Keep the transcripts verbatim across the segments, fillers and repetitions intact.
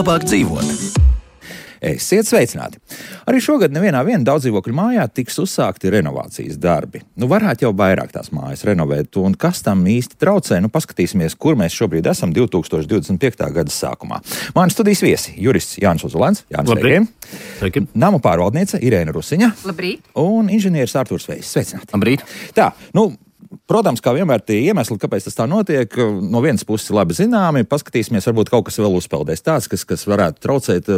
labāk dzīvot. Esiet sveicināti! Arī šogad nevienā viena daudzdzīvokļu mājā tiks uzsākti renovācijas darbi. Nu, varētu jau vairāk tās mājas renovēt, un kas tam īsti traucē, nu paskatīsimies, kur mēs šobrīd esam divtūkstoš divdesmit piektā gada sākumā. Mani studijas viesi - jurists Jānis Ozolēns. Jānis, Labrīt! Sveiki! Namu pārvaldniece Irēna Rusiņa. Labrīt! Un inženieris Artūrs Vējs. Sveicināti! Labrīt! Tā, nu... Protams, kā vienmēr tie iemesli, kāpēc tas tā notiek, no vienas puses labi zināmi, paskatīsimies, varbūt kaut kas vēl uzpeldēs tāds, kas, kas varētu traucēt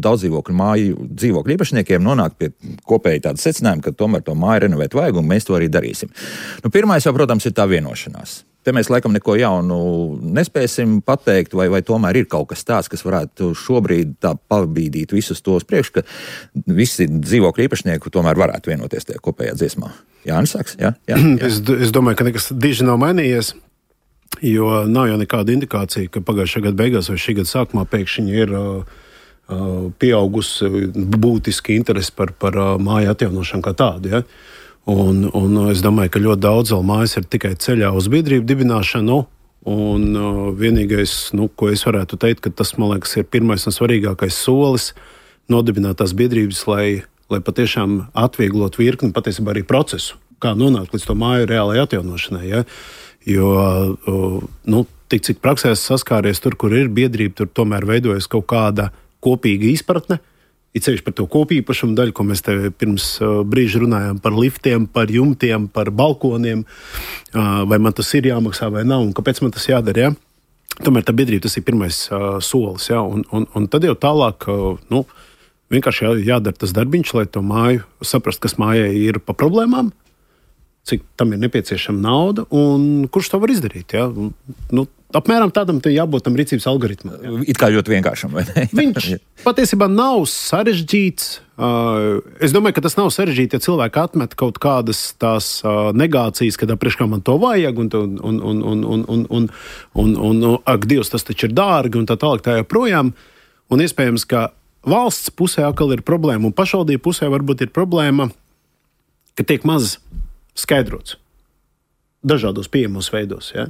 daudzdzīvokļu māju dzīvokļu īpašniekiem nonākt pie kopēji tāda secinājuma, ka tomēr to māju renovēt vajag, un mēs to arī darīsim. Nu, pirmais jau, protams, ir tā vienošanās. Te mēs laikam neko jaunu nespēsim pateikt, vai, vai tomēr ir kaut kas tāds, kas varētu šobrīd tā pabīdīt visus tos priekš, ka visi dzīvokļu īpašnieki tomēr varētu vienoties tajā kopējā dziesmā. Jānis sāks? Jā, jā, jā. Es, es domāju, ka nekas diži nav mainījies, jo nav jau nekāda indikācija, ka pagājušā gada beigās vai šī gada sākumā pēkšņi ir uh, pieaugusi būtiski interesi par, par uh, māju atjaunošanu kā tādu, ja? Un, un es domāju, ka ļoti daudz vēl mājas ir tikai ceļā uz biedrību dibināšanu. Un uh, vienīgais, nu, ko es varētu teikt, ka tas, man liekas, ir pirmais un svarīgākais solis nodibināt tās biedrības, lai, lai patiešām atvieglot virkni, patiesībā arī procesu, kā nonākt līdz to māju reālai atjaunošanai. Ja? Jo, uh, nu, tik cik praksē saskāries tur, kur ir biedrība, tur tomēr veidojas kaut kāda kopīga izpratne. Ir ceļš par to kopīpašumu daļu, ko mēs te pirms uh, brīža runājām par liftiem, par jumtiem, par balkoniem, uh, vai man tas ir jāmaksā vai nav, un kāpēc man tas jādara. Ja? Tomēr tā biedrība tas ir pirmais uh, solis, ja? un, un, un tad jau tālāk uh, nu, vienkārši jā, jādara tas darbiņš, lai to māju saprast, kas mājai ir pa problēmām, cik tam ir nepieciešama nauda un kurš to var izdarīt. Ja? Nu, apmēram tādam te jābūt tam rīcības algoritmam. Ja? It kā ļoti vienkāršam, vai ne? Viņš patiesībā nav sarežģīts. Es domāju, ka tas nav sarežģīti, ja cilvēki atmet kaut kādas tās negācijas, kad priekš kā man to vajag, un, un, un, un, un, un, un, un, un, un ak, Dievs, tas taču ir dārgi, un tā tālāk tā joprojām. Un iespējams, ka valsts pusē atkal ir problēma, un pašvaldību pusē varbūt ir problēma, ka tiek maz skaidrots dažādos pieejamos veidos, ja?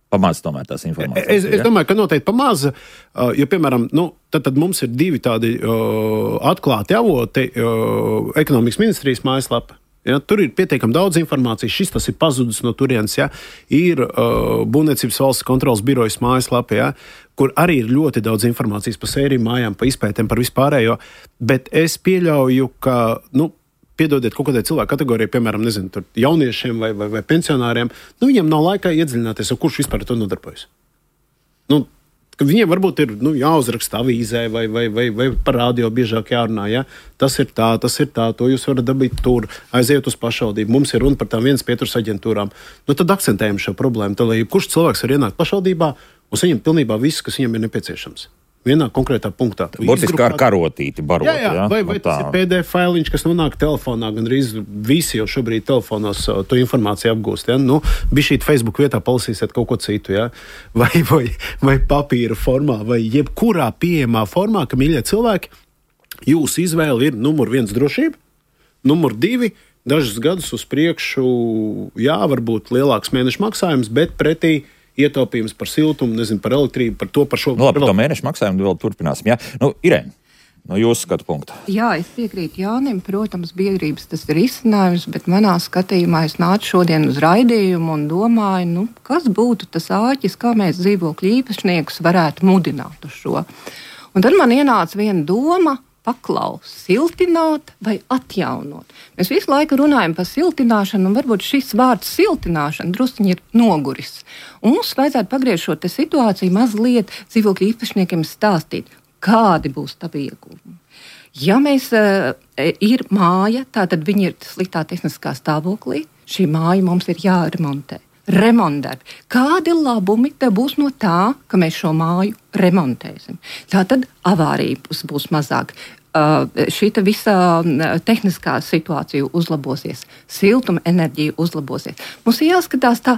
Pamaz tomēr tās informācijas. Es, es domāju, ka noteikti pamaz, jo, piemēram, nu, tad, tad mums ir divi tādi uh, atklāti avoti, uh, ekonomikas ministrijas mājaslapa. Ja, tur ir pietiekami daudz informācijas, šis tas ir pazudis no turienes, ja, ir uh, Būvniecības valsts kontrolas birojas mājaslapa, ja, kur arī ir ļoti daudz informācijas par sēriju mājām, par izpētēm, par vispārējo, bet es pieļauju, ka, nu, piedodiet kaut kādai cilvēku kategorijai, piemēram, nezinu, tur jauniešiem vai, vai, vai pensionāriem, nu, viņiem nav laikā iedziļināties, kurš vispār to nodarbojas. Nu, viņiem varbūt ir nu, jāuzraksta avīzē vai, vai, vai, vai par radio biežāk jārunā, ja? Tas ir tā, tas ir tā, to jūs varat dabūt tur, aiziet uz pašvaldību. Mums ir runa par tām vienas pieturas aģentūrām. Nu, tad akcentējam šo problēmu, tad, lai kurš cilvēks var ienākt pašvaldībā un saņemt pilnībā viss, kas viņam ir nepieciešams. Vienā konkrētā punktā. Burtiski ar karotīti barot. Jā, jā. Ja? Vai, vai no tas ir P D F failiņš, kas nonāk telefonā, gan arī visi jau šobrīd telefonos to informāciju apgūst. Ja? Nu, bišķīt Facebook vietā palasīsiet kaut ko citu, ja? vai, vai, vai papīra formā, vai jebkurā pieejamā formā, ka, mīļie cilvēki, jūsu izvēle ir numur viens drošība, numur divi dažus gadus uz priekšu, jā, varbūt lielāks mēneša maksājums, bet pretī ietaupījums par siltumu, nezinu, par elektrību, par to, par šo... Nu, labi, par to mēnešu maksājumu vēl turpināsim, jā. Nu, Irēna, no jūsu skatu punkta. Jā, es piekrītu Jānim, protams, biedrības tas ir izcinājums, bet manā skatījumā es nācu šodien uz raidījumu un domāju, nu, kas būtu tas āķis, kā mēs dzīvokļu īpašniekus varētu mudināt uz šo. Un tad man ienāca viena doma, paklaus, siltināt vai atjaunot. Mēs visu laiku runājam par siltināšanu, un varbūt šis vārds siltināšana drusciņi ir noguris. Un mums vajadzētu pagriezt šo te situāciju mazliet dzīvokļu īpašniekiem stāstīt, kādi būs tavi ieguvumi. Ja mēs uh, ir māja, tātad viņi ir sliktā tehniskā stāvoklī, šī māja mums ir jāremontē. Remontdarbi. Kādi labumi te būs no tā, ka mēs šo māju remontēsim? Tātad avārijas būs mazāk. Uh, šita visa tehniskā situācija uzlabosies, siltuma enerģija uzlabosies. Mums ir jāskatās tā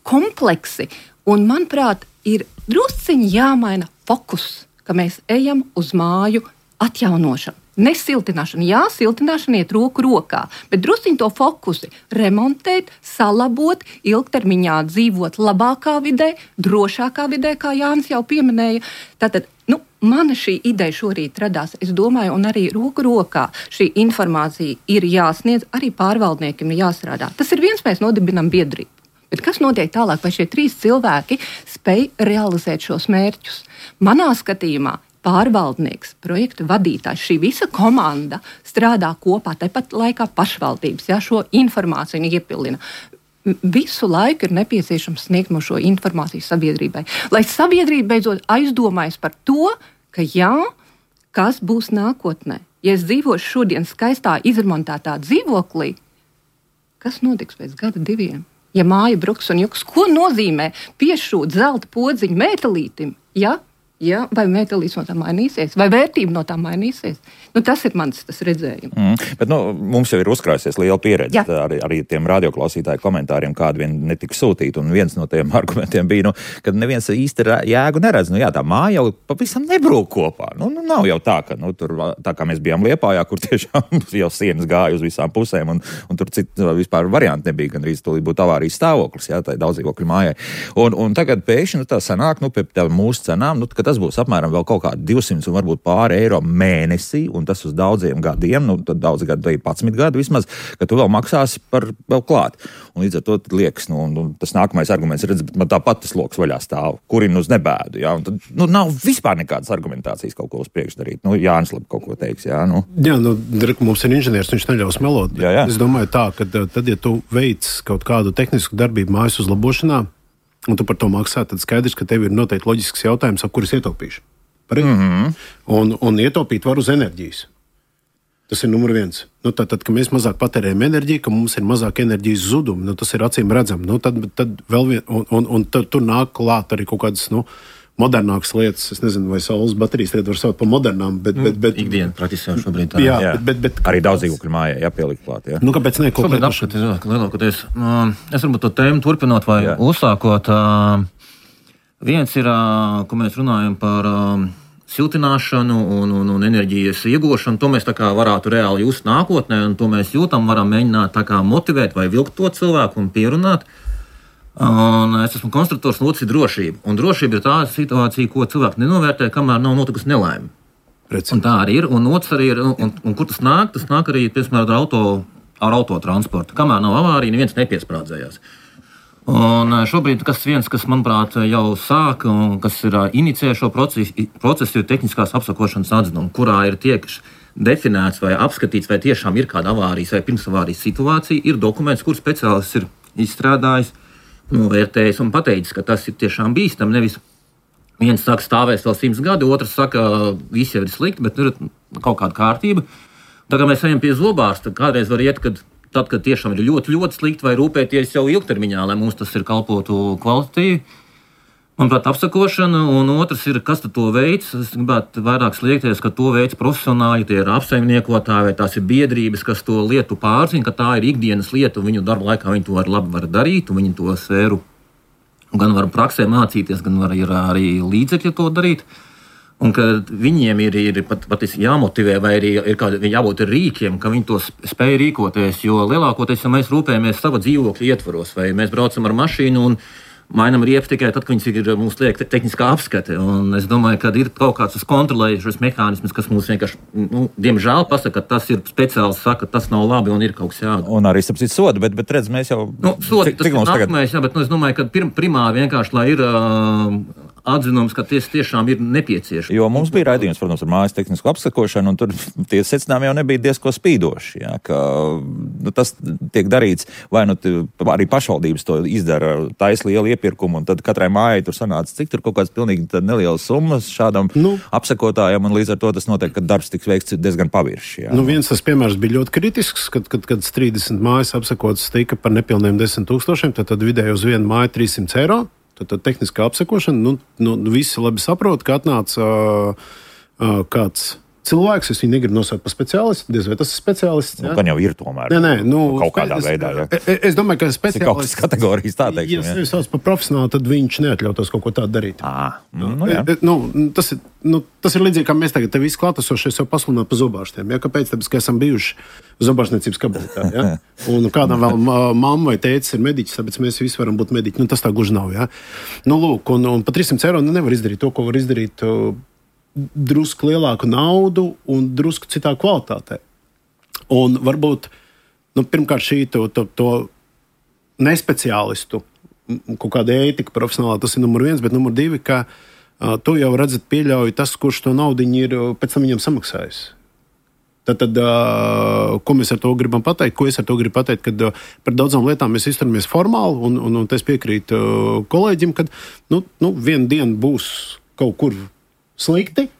kompleksi, un, manuprāt, ir drusciņi jāmaina fokus, ka mēs ejam uz māju atjaunošanu. Ne siltināšana. Jā, siltināšana iet roku rokā, bet drusciņ to fokusi remontēt, salabot, ilgtermiņā dzīvot labākā vidē, drošākā vidē, kā Jānis jau pieminēja. Tātad Nu, mana šī ideja šorīt radās, es domāju, un arī roku rokā šī informācija ir jāsniedz, arī pārvaldniekiem ir jāstrādā. Tas ir viens, mēs nodibinam biedrību. Bet kas notiek tālāk, vai šie trīs cilvēki spēj realizēt šos mērķus? Manā skatījumā pārvaldnieks, projekta vadītājs, šī visa komanda strādā kopā, tāpat laikā pašvaldības, ja, šo informāciju iepildina. Visu laiku ir nepieciešams sniegt mums šo informāciju sabiedrībai, lai sabiedrība beidzot aizdomājas par to, ka jā, kas būs nākotnē. Ja es dzīvošu šodien skaistā, izremontētā dzīvoklī, kas notiks pēc gada diviem? Ja māja bruks un juks, ko nozīmē piešūt zelta podziņu metālītim? Ja? Ja? Vai metālīts no tā mainīsies? Vai vērtība no tā mainīsies? Nu, tas ir mans tas redzējums. Mm, bet nu, mums jau ir uzkrājusies liela pieredze ar arī tiem radioklausītāju komentāriem, kādi vien netika sūtīti. Un viens no tiem argumentiem bija, nu, ka neviens īsti jēgu neredz. Nu, jā, tā māja jau pavisam nebrūk kopā. Nu, nu, nav jau tā, ka nu, tur, tā kā mēs bijām Liepājā, kur tiešām jau sienas gāja uz visām pusēm, un, un tur citu vispār varianti nebija, gan arī tūlīt būtu avārijas stāvoklis, jā, tā daudzdzīvokļu mājai. Un, un tagad pēkšņi nu, tā sanāk, nu, pie mūsu cenām, nu, ka tas būs apmēram vēl kaut kādi divsimt un varbūt pāri eiro mēnesī, un tas uz daudziem gadiem, nu, tad daudz gadu, vai padsmit gadu vismaz, ka tu vēl maksāsi par vēl klāt. Un līdz ar to liekas, nu, un, un tas nākamais arguments redz, bet man tāpat tas loks vaļā stāv, kurina uz nebēdu, jā, un tad, nu, nav vispār nekādas argumentācijas kaut ko uz priekšu darīt. Nu, Jānis labi kaut ko teiks, jā, nu. Jā, nu, mums ir inženieris, viņš neļaus melot. Jā, jā. Es domāju tā, ka tad, ja tu veic kaut kādu tehnisku darbību mājas uzlabošanā, un tu par to maksā, tad skaidrs, ka tev ir noteikti loģisks jautājums, ap kuras ietaupīšu. Mm -hmm. un, un ietaupīt var uz enerģijas. Tas ir numur viens. Nu, tad, tad, kad mēs mazāk patērējam enerģiju, ka mums ir mazāk enerģijas zudumi, nu, tas ir acīm redzami. Nu, tad, tad vēl vien, un, un, un tad, tur nāk klāt arī kaut kādas, nu, modernākas lietas. Es nezinu, vai saules baterijas tagad var saukt par modernām, bet... bet, bet ikdiena praktiski jau šobrīd tā. Jā, jā. Bet, bet, bet, arī daudzdzīvokļu mājai jāpielikt klāt, jā. Nu, kāpēc ne? Šobrīd apskatīt, lielākoties. Uh, es varbūt to tēmu turpinot vai jā. uzsākot. Uh, viens ir, uh, ko mēs runājam par... Uh, siltināšanu un, un, un enerģijas iegūšanu, to mēs tā kā varētu reāli just nākotnē, un to mēs jūtam, varam mēģināt tā kā motivēt vai vilkt to cilvēku un pierunāt. Un es esmu konstruktors, un otrs ir drošība. Un drošība ir tā situācija, ko cilvēki nenovērtē, kamēr nav notikusi nelaime. Un tā arī ir, un otrs arī ir, un, un, un kur tas nāk, tas nāk arī, piemēram, ar auto, ar autotransportu. Kamēr nav avārija, neviens nepiesprādzējās. Un šobrīd, kas viens, kas, manuprāt, jau sāk, un kas ir inicijē šo procesu, procesu ir tehniskās apsakošanas atzinuma, kurā ir tiek definēts vai apskatīts, vai tiešām ir kāda avārijas vai pirmsavārijas situācija, ir dokuments, kur speciālists ir izstrādājis, novērtējis un pateicis, ka tas ir tiešām bīstam. Nevis viens saka, stāvēs vēl simts gadi, otrs saka, viss jau ir slikti, bet ir kaut kāda kārtība. Tā kā mēs ejam pie zobārsta, kādreiz var iet, kad tad, kad tiešām ir ļoti, ļoti slikti, vai rūpēties jau ilgtermiņā, lai mums tas ir kalpotu kvalitatīvi. Manuprāt, apsakošana, un otrs ir, kas to veids. Es gribētu vairāk sliekties, ka to veids profesionāļi, tie ir apsaimniekotāji, vai tās ir biedrības, kas to lietu pārzina, ka tā ir ikdienas lieta, un viņu darba laikā viņi to var labi var darīt, un viņi to sfēru gan var praksē mācīties, gan var ir arī līdzekļi to darīt. Un ka viņiem ir, ir pat, pat jāmotivē, vai arī ir kādi, jābūt rīkiem, ka viņi to spēj rīkoties. Jo lielākoties, ja mēs rūpējamies sava dzīvokļa ietvaros, vai mēs braucam ar mašīnu un mainām riepas tikai tad, kad viņas ir mums liek tehniskā apskate. Un es domāju, ka ir kaut kāds kontrolējušas mehānisms, kas mums vienkārši, nu, diemžēl pasaka, ka tas ir speciāls, saka, ka tas nav labi un ir kaut kas jādara. Un arī sapcīt sodu, bet, bet redz, mēs jau... Nu, sodi, cik, tas cik ir nākamais, tagad... jā, bet nu, es domāju, ka pir, primāri vienkārši, lai ir... Uh, atzinums, ka tas tiešām ir nepieciešams. Jo mums bija raidījums, protams, ar mājas tehnisku apsakošanu, un tur tie secinājumi jau nebija diezko spīdoši. Jā, ka, nu, tas tiek darīts, vai nu arī pašvaldības to izdara taisa lielu iepirkumu, un tad katrai mājai tur sanāca, cik tur kaut kāds pilnīgi nelielas summas šādam nu, apsakotājam, un līdz ar to tas notiek, ka darbs tiks veikts diezgan pavirši. Jā. Nu, viens tas piemērs bija ļoti kritisks, kad, kad, kad trīsdesmit mājas apsakotas tika par nepilniem desmit tūkstošiem, tad, tad vidēji uz vienu māju trīssimts eiro. Tad tehniskā apsekošana, nu, nu visi labi saprot, ka atnāca uh, uh, kāds cilvēks, es viņu negribu nosaukt par speciālistu, diez vai tas ir speciālists. Nu, gan jau ir tomēr. Nē, nē, nu, kaut kādā es, veidā. Jā. Es, es domāju, ka speciālists... Kaut kādas kategorijas tā teiksim. Ja sevi sauc par profesionāli, tad viņš neatļautos kaut ko tādu darīt. À, nu, nu, jā. nu, tas, ir, nu, tas ir līdzīgi, kā mēs tagad te visi klātesošies jau pasludināt par zobārstiem. Ja? Kāpēc? Tāpēc, ka esam bijuši zobārstniecības kabinetā. Ja? Un kādam vēl mamma vai tētis ir mediķis, tāpēc mēs visi varam būt mediķi. Nu, tas tā gluži nav. Ja? Nu, lūk, un, un par trīssimts eiro nevar izdarīt to, ko var izdarīt drusku lielāku naudu un drusku citā kvalitātē. Un varbūt nu, pirmkārt šī to, to, to nespeciālistu kaut kāda ētika profesionālā, tas ir numur viens, bet numur divi, ka uh, to jau redzat pieļauj tas, kurš to naudu ir pēc tam viņam samaksājis. Tad, tad uh, ko mēs ar to gribam pateikt? Ko es ar to gribu pateikt? Kad uh, par daudzām lietām mēs izturamies formāli, un, un, un es piekrītu uh, kolēģim, ka nu, nu, vienu dienu būs kaut kur slikti,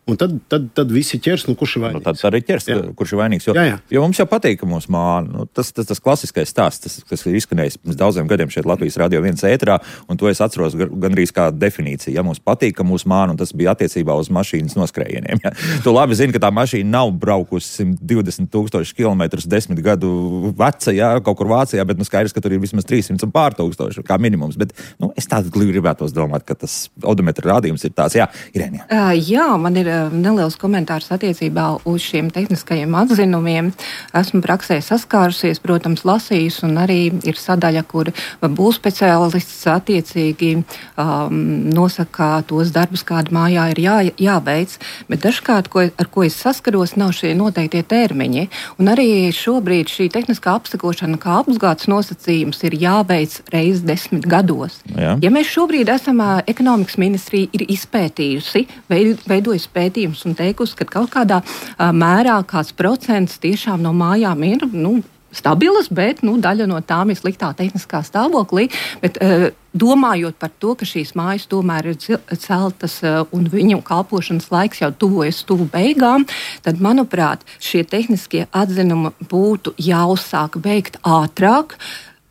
un tad, tad, tad visi ķers, nu, kurš ir vainīgs. Nu, tad arī ķers, jā. Kurš ir vainīgs. Jo, jā, jā. jo mums jau patīk, ka mūs māna. Nu, tas, tas, tas klasiskais stāsts, tas, kas ir izskanējis pirms daudziem gadiem šeit Latvijas radio viens ēterā, un to es atceros gandrīz kā definīciju. Ja mums patīk, ka mūs māna, un tas bija attiecībā uz mašīnas noskrējieniem. Ja. Tu labi zini, ka tā mašīna nav braukusi simt divdesmit tūkstoši kilometrus desmit gadu veca, ja, kaut kur Vācijā, bet nu skaidrs, ka tur ir vismaz trīssimts un pār tūkstoši kā minimums. Bet nu, es tādu gribētos domāt, ka tas odometra rādījums ir tāds. Jā, Irēnija. Uh, jā, man ir uh, neliels komentārs attiecībā uz šiem tehniskajiem atzinumiem. Esmu praksē saskārusies, protams, lasījusi, un arī ir sadaļa, kur būs speciālists attiecīgi um, nosaka tos darbus, kādi mājā ir jā, jāveic, bet dažkārt, ko, ar ko es saskaros, nav šie noteiktie termiņi. Un arī šobrīd šī tehniskā apsakošana kā apgādes nosacījums ir jāveic reiz desmit gados. Jā. Ja mēs šobrīd esam, ekonomikas ministrija ir izpētījusi, veidojusi pētījumus un teikusi, ka kaut kādā uh, mērā kāds procents tiešām no mājām ir, nu, stabilas, bet nu, daļa no tām ir sliktā tehniskā stāvoklī. Bet, uh, domājot par to, ka šīs mājas tomēr ir celtas uh, un viņu kalpošanas laiks jau tuvojas tuvu beigām, tad, manuprāt, šie tehniskie atzinumi būtu jāuzsāk veikt ātrāk.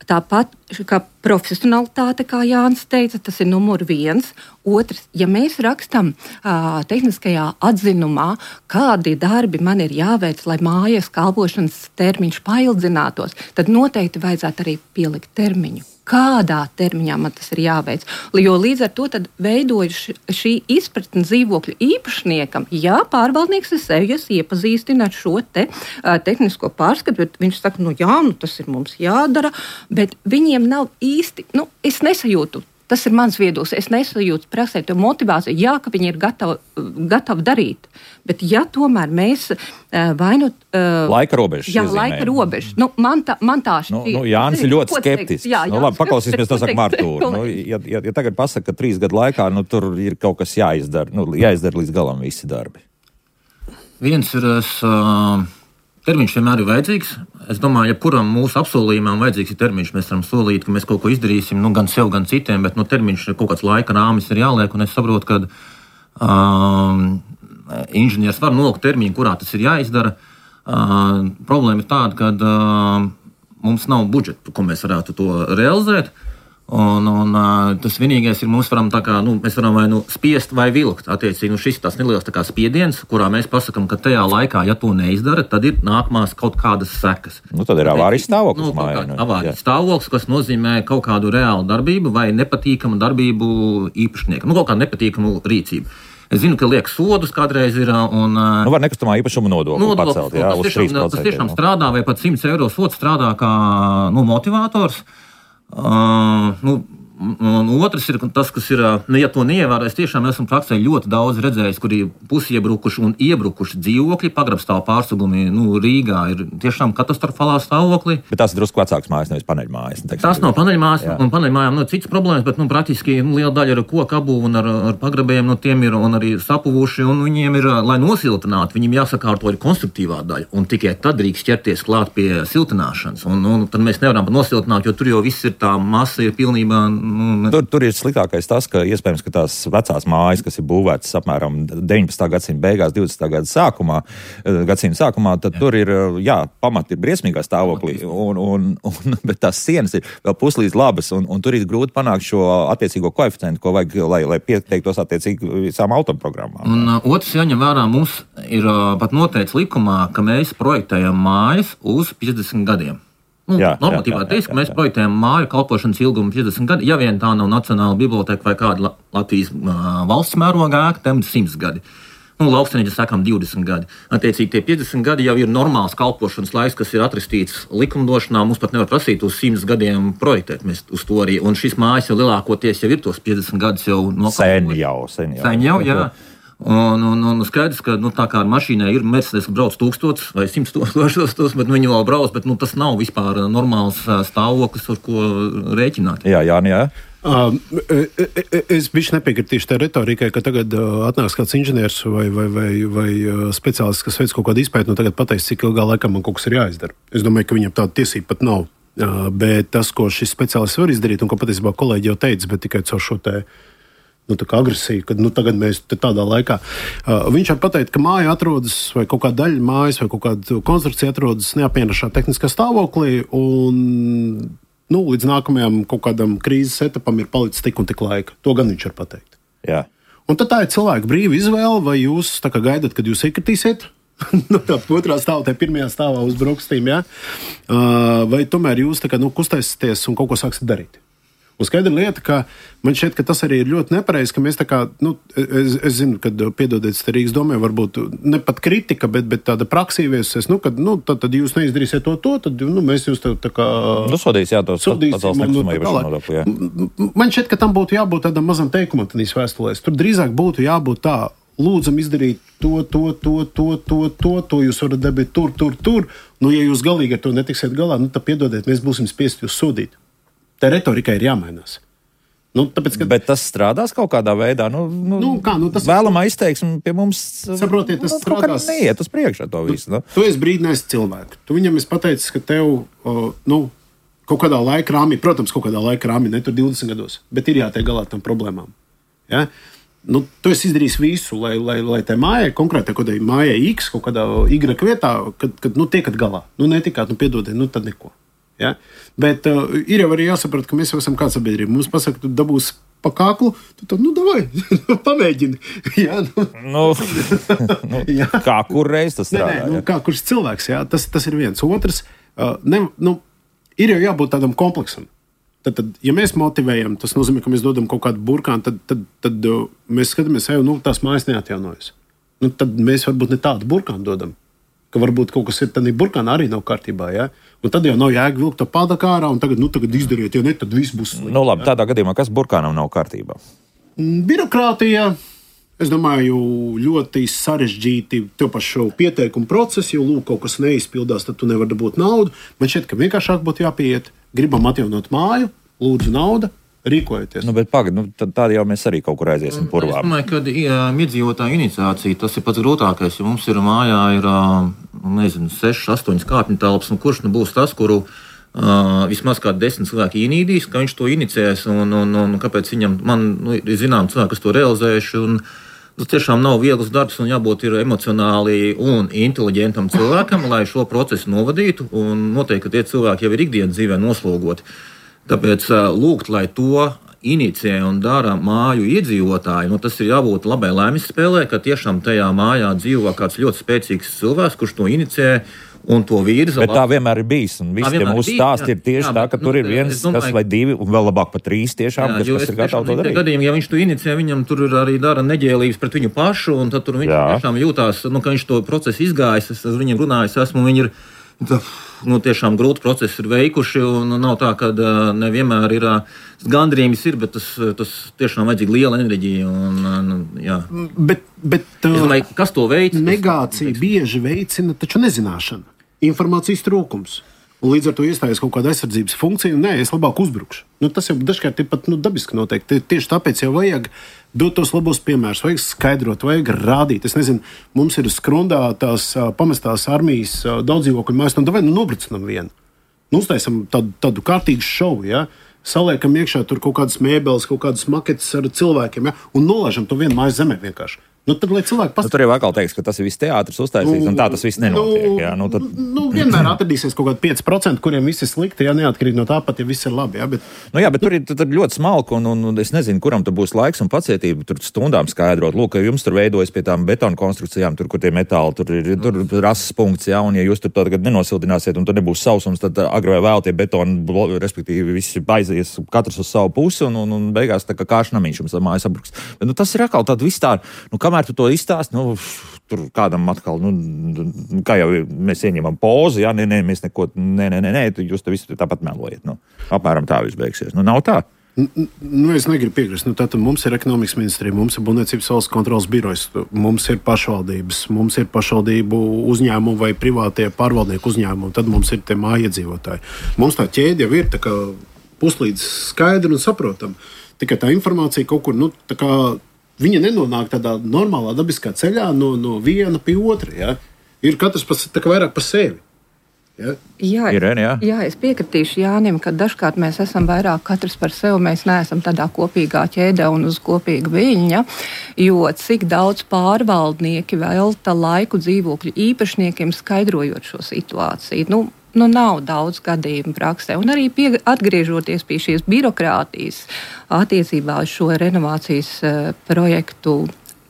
Tāpat kā profesionalitāte, kā Jānis teica, tas ir numur viens. Otrs, ja mēs rakstam uh, tehniskajā atzinumā, kādi darbi man ir jāveic, lai mājas kalpošanas termiņš paildzinātos, tad noteikti vajadzētu arī pielikt termiņu. Kādā termiņā man tas ir jāveic? Jo līdz ar to veidojas šī izpratne dzīvokļu īpašniekam. Jā, pārvaldnieks ir sevies iepazīstina ar šo te, uh, tehnisko pārskatu, bet viņš saka, nu jā, nu tas ir mums jādara, bet viņiem nav īsti, nu es nesajūtu. Tas ir mans viedoklis. Es nesajūtu praksē to motivāciju, jā, ka viņi ir gatavi, gatavi darīt. Bet ja tomēr mēs vai nu... Uh, laika robežas. Jā, laika robežas. Nu, man tā, man tā šķiet. Nu, nu, Jānis ir ļoti skeptisks. Jā, nu, labi, paklausīsimies, to saka Martūra. Nu, ja, ja, ja tagad pasaka, ka trīs gadu laikā nu, tur ir kaut kas jāizdara, nu, jāizdara līdz galam visi darbi. Viens ir... Uh... Termiņš vienmēr ir vajadzīgs. Es domāju, ja kuram mūsu apsolījumam vajadzīgs ir termiņš, mēs varam solīt, ka mēs kaut ko izdarīsim, nu, gan sev, gan citiem, bet nu, termiņš ir kaut kāds laika rāmis ir jāliek, un es saprotu, ka um, inženieris var nolikt termiņu, kurā tas ir jāizdara. Uh, problēma ir tāda, ka uh, mums nav budžeta, ko mēs varētu to realizēt. Un, un tas vienīgais ir, mums varam tā kā, nu, mēs varam vai nu spiest vai vilkt. Attiecīgi, nu, šis tas neliels tā kā spiediens, kurā mēs pasakam, ka tajā laikā, ja to neizdara, tad ir nākamās kaut kādas sekas. Nu, tad ir avārijas stāvoklis. Nu, mājā, nu, avārijas stāvoklis, kas nozīmē kaut kādu reālu darbību vai nepatīkamu darbību īpašniekam. Nu, kaut kādu nepatīkamu rīcību. Es zinu, ka liek sodus kādreiz ir. Un, nu, var nekustamā īpašuma nodokli nodokli pacelt, jā, uz trīs procenti. Tas tiešām strādā, vai pat simts eiro sods strādā kā, nu, motivators. Uh, nu, un otrs ir tas, kas ir, nu, ja to neievērēs, tiešām esmu praksē ļoti daudz redzējis, kuri pusiebrukuši un iebrukuši dzīvokļi, pagrabstāvu pārsegumi, nu, Rīgā ir tiešām katastrofālā stāvoklī. Bet tās ir drusku vecākas mājas, nevis paneļmājas. Ne, tās nav paneļmājas, un paneļmājām nav citas problēmas, bet, nu, praktiski nu, liela daļa ir koku apbūve un ar, ar pagrabējiem, nu, tiem ir un arī sapuvuši, un viņiem ir, lai nosiltinātu, viņiem jāsakārto ir konstruktīvā daļa, un tikai tad drīkst ķerties klāt pie siltināšanas, un, un tad mēs nevaram nosiltināt, jo tur jau viss ir tā masa ir pilnībā. Nu, tur, tur ir sliktākais tas, ka iespējams, ka tās vecās mājas, kas ir būvētas apmēram deviņpadsmitā gadsimta beigās, divdesmitā gada sākumā, gadsimta sākumā, tad jā. Tur ir, jā, pamati ir briesmīgā stāvoklī, un, un, un, bet tās sienas ir vēl puslīdz labas, un, un tur ir grūti panākt šo attiecīgo koeficientu, ko vajag, lai, lai pieteiktos attiecīgi visām autoprogrammām. Un uh, otrs jāņem vērā, mums ir uh, pat noteikts likumā, ka mēs projektējam mājas uz piecdesmit gadiem. Nu, jā, normatīvā teiks, ka mēs projektējam māju kalpošanas ilgumu piecdesmit gadi, ja vien tā nav Nacionāla biblioteka vai kāda Latvijas uh, valsts mērogā ēka, tam ir simts gadi. Nu, lauksaimniecības sakām divdesmit gadi. Attiecīgi tie piecdesmit gadi jau ir normāls kalpošanas laiks, kas ir atrakstīts likumdošanā. Mums pat nevar prasīt uz simts gadiem projektēt. Mēs uz to arī. Un šis mājas jau lielākoties jau ir tos piecdesmit gadus jau nokalpojuši. Sen jau, sen jau. Sen jau, jā. Un, un, un skaidrs, ka nu, tā kā ar mašīnai ir Mercedes, ka brauc tūkstots vai simts tūkstošos, bet nu, viņi vēl brauc, bet nu, tas nav vispār normāls stāvoklis, ar ko rēķināt. Jā, jā, jā. Uh, es bišķi nepiekritīšu tā retorikai, ka tagad uh, atnāks kāds inženieris vai, vai, vai, vai uh, speciālists, kas veic kaut kādu izpēti, nu tagad pateiks, cik ilgā laikā man kaut kas ir jāizdara. Es domāju, ka viņam tāda tiesība pat nav. Uh, bet tas, ko šis speciālists var izdarīt, un ko patiesībā kolēģi jau teica, bet tikai caur šo te nu, agresiju, kad nu, tagad mēs tādā laikā. Uh, viņš var pateikt, ka māja atrodas, vai kaut kāda daļa mājas, vai kaut kāda konstrukcija atrodas neapmienošā tehniskā stāvoklī, un nu, līdz nākamajam kaut kādam krīzes etapam ir palicis tik un tik laika. To gan viņš var pateikt. Jā. Un tad tā ir cilvēka brīva izvēle, vai jūs tā kā gaidat, kad jūs iekritīsiet no tā otrā stāvā, tā pirmajā stāvā uz brokastīm, ja? uh, vai tomēr jūs tā kā nu, kustēsieties un kaut ko sāksiet darīt. Un skaidra lieta, ka man šķiet, ka tas arī ir ļoti nepareizi, ka mēs tā kā, nu, es, es zinu, kad, piedodiet, Rīgas domē, varbūt ne pat kritika, bet, bet tāda praksa ieviesusies, nu, kad, nu, tad, tad jūs neizdarīsiet to, to, tad, nu, mēs jūs tā, tā kā... Nu, sodīs, jā, tos pacels nekustamā īpašuma nodokli, jā. Man šķiet, ka tam būtu jābūt tādam mazam teikumam tādīs vēstulēs. Tur drīzāk būtu jābūt tā, lūdzam izdarīt to, to, to, to, to, to, to jūs varat dabūt tur, tur, tur. Nu, ja jūs galīgi ar to netiksiet galā, nu, tad piedodiet, mēs būsim spiesti jūs sodīt. Tā retorika ir jāmainās. Nu, tāpēc, ka... Bet tas strādās kaut kādā veidā. Nu, nu, nu, kā, nu, tas vēlamā izteiksme pie mums saprotiet, tas nu, strādās. Neiet uz priekšu to visu. Nu. Tu, tu esi brīdinājis cilvēku. Tu viņam esi pateicis, ka tev uh, nu, kaut kādā laika rāmī, protams, kaut kādā laika rāmī, ne tur divdesmit gados, bet ir jātiek galā tam problēmām. Ja? Nu, tu esi izdarījis visu, lai, lai, lai tai mājai, konkrētai kodai mājai X, kaut kādā Y vietā, kad, kad nu, tiekat galā. Nu, netikāt, nu, piedodiet, nu, tad neko. Ja? Bet uh, ir jau arī jāsaprot, ka mēs jau esam kāda sabiedrība. Mums pasaka, tu dabūs pa kāklu, tu tad, nu, davai, pamēģini. Ja? Nu, nu, nu, ja? Kā kur reiz tas strādā? Nē, nē, nu, kā kurš cilvēks, ja? tas, tas ir viens. Otrs, uh, ne, nu, ir jau jābūt tādam kompleksam. Tad, tad, ja mēs motivējam, tas nozīmē, ka mēs dodam kaut kādu burkānu, tad, tad, tad uh, mēs skatāmies, ka nu, tās mājas neatjaunojas. Nu, tad mēs varbūt ne tādu burkānu dodam. Ka varbūt kaut kas ir tādā burkānā arī nav kārtībā. Ja? Un tad jau nav jēga vilkt to pādaku ārā un tagad, nu, tagad izdariet, ja ne, tad viss būs slikti. Nu, labi, ja? Tādā gadījumā, kas burkānam nav kārtībā? Birokrātija, es domāju, ļoti sarežģīti tev pašu pieteikumu procesu, jo lūk, kaut kas neizpildās, tad tu nevari dabūt naudu. Man šķiet, ka vienkāršāk būtu jāpieiet, gribam atjaunot māju, lūdzu nauda. Rīkojieties. Nu, bet pagad, nu, tādā jau mēs arī kaut kur aiziesim purvā. Es domāju, ka iedzīvotāju iniciācija tas ir pats grūtākais, jo mums ir mājā ir, nezinu, sešas, astoņas kāpņu telpas, un kurš nu būs tas, kuru uh, vismaz kādi desmit cilvēki ienīdīs, ka viņš to inicēs, un, un, un kāpēc viņam, man nu, ir zinām cilvēki, kas to realizējuši, un tas tiešām nav viegls darbs, un jābūt ir emocionāli un inteliģentam cilvēkam, lai šo procesu novadītu, un noteikti, ka tie cilvēki jau ir ikdienas dzīvē noslogoti. Tāpēc lūgt, lai to inicē un dara māju iedzīvotāji, nu, tas ir jābūt labai laimes spēlē, ka tiešām tajā mājā dzīvo kāds ļoti spēcīgs cilvēks, kurš to inicē un to virza. Bet tā vienmēr ir bijis, un visi tie mūsu stāsti ir tieši jā, tā, ka nu, tur ir viens, domāju, kas vai divi, un vēl labāk pat trīs tiešām, jā, kas, kas ir gatavi to darīt. Gadījumā, ja viņš to inicē, viņam tur arī dara neģēlības pret viņu pašu, un tad tur viņš jā. tiešām jūtās, nu, ka viņš to procesu izgājis, es ar viņiem runājis esmu, viņi ir nu, tiešām grūti procesi ir veikuši, un nav tā, ka nevienmēr ir gandrījums, ir, bet tas, tas tiešām vajadzīga liela enerģija. Un, jā. Bet, bet domāju, kas to veic? Negācija bieži veicina taču nezināšana, informācijas trūkums. Un līdz ar to iestājas kaut kāda aizsardzības funkcija, un nē, es labāk uzbrukšu. Nu, tas jau dažkārt ir pat nu, dabiski noteikti. Tieši tāpēc jau vajag dot tos labos piemērus, vajag skaidrot, vajag rādīt. Es nezinu, mums ir skrundā tās uh, pamestās armijas uh, daudz dzīvokļu mājas, nu, davai, nu, nobrucinam vienu. Nu, uztaisam tādu, tādu kārtīgu šovu, ja? Saliekam iekšā tur kaut kādas mēbeles, kaut kādas maketes ar cilvēkiem, ja? Un nolaižam to vienu mājas zemē vienkārši. Nu, tad, cilvēki past... nu, tur jau atkal teiks, ka tas ir viss teātris uztaisīts, nu, un tā tas viss nenotiek. Nu, jā, nu, tad... nu, vienmēr atradīsies kaut kādi pieci procenti, kuriem viss ir slikti, ja neatkarīgi no tā pat, ja viss ir labi. Jā, bet, nu, jā, bet tur ir tur ļoti smalki, un, un, un es nezinu, kuram tur būs laiks un pacietība tur stundām skaidrot. Lūk, ka jums tur veidojas pie tām betona konstrukcijām, tur, kur tie metāli, tur ir tur rases punkts, jā, un ja jūs tur tagad nenosildināsiet, un tur nebūs sausums, tad agri vai vēl tie betoni, respektīvi, visi aizies katrs uz savu pusi, un, un, un beigās tā kā kāšnamiņš jums mājas sabruks. Bet, nu, tas ir atkal tāda vispār, nu, kamēr tu to izstāst, nu, tur kādam atkal, nu, kā jau mēs ieņemam pozu, jā, nē, nē, mēs neko, nē, nē, nē, nē, jūs te visu tāpat melojat, nu, apmēram tā viss beigsies. Nu, nav tā. Nu, es negribu piekrist. Nu, tātad mums ir ekonomikas ministrija, mums ir Būvniecības valsts kontrolas birojas, mums ir pašvaldības, mums ir pašvaldību uzņēmumi vai privātie pārvaldnieku uzņēmumi, tad mums ir tie mājiedzīvotāji. Mums tā ķēde jau ir tā kā puslīdz skaidra un saprotama. Tikai tā informācija kaut kur, nu, tā kā viņa nenonāk tādā normālā dabiskā ceļā no, no viena pie otra. Ja? Ir katrs pas, tā kā vairāk pa sevi. Ja? Jā, Irēne, jā. jā, es piekritīšu Jānim, ka dažkārt mēs esam vairāk katrs par sevi, mēs neesam tādā kopīgā ķēdē un uz kopīga viļņa, jo cik daudz pārvaldnieki velta laiku dzīvokļu īpašniekiem skaidrojot šo situāciju. Nu, nu nav daudz gadījumu praksē. Un arī pie, atgriežoties pie šīs birokrātijas attiecībā uz šo renovācijas uh, projektu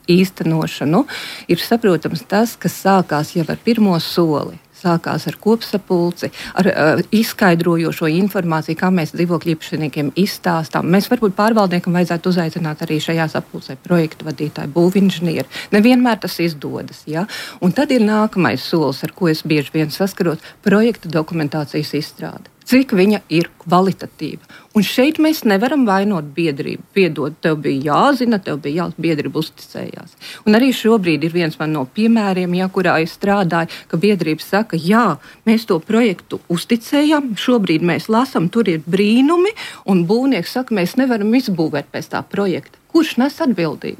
īstenošanu, ir saprotams tas, kas sākās jau ar pirmo soli. Sākās ar kopsapulci, ar uh, izskaidrojošo informāciju, kā mēs dzīvokļu īpašniekiem izstāstām. Mēs varbūt pārvaldniekam vajadzētu uzaicināt arī šajā sapulcē projektu vadītāju, būvinženieri. Nevienmēr tas izdodas. Ja? Un tad ir nākamais solis, ar ko es bieži vien saskarot, projekta dokumentācijas izstrāde. Cik viņa ir kvalitatīva. Un šeit mēs nevaram vainot biedrību. Piedod, tev bija jāzina, tev bija jāzina, biedrība uzticējās. Un arī šobrīd ir viens man no piemēriem, ja, kurā es strādāju, ka biedrība saka, jā, mēs to projektu uzticējām, šobrīd mēs lasam, tur ir brīnumi, un būvnieks saka, mēs nevaram izbūvēt pēc tā projekta. Kurš nes atbildību?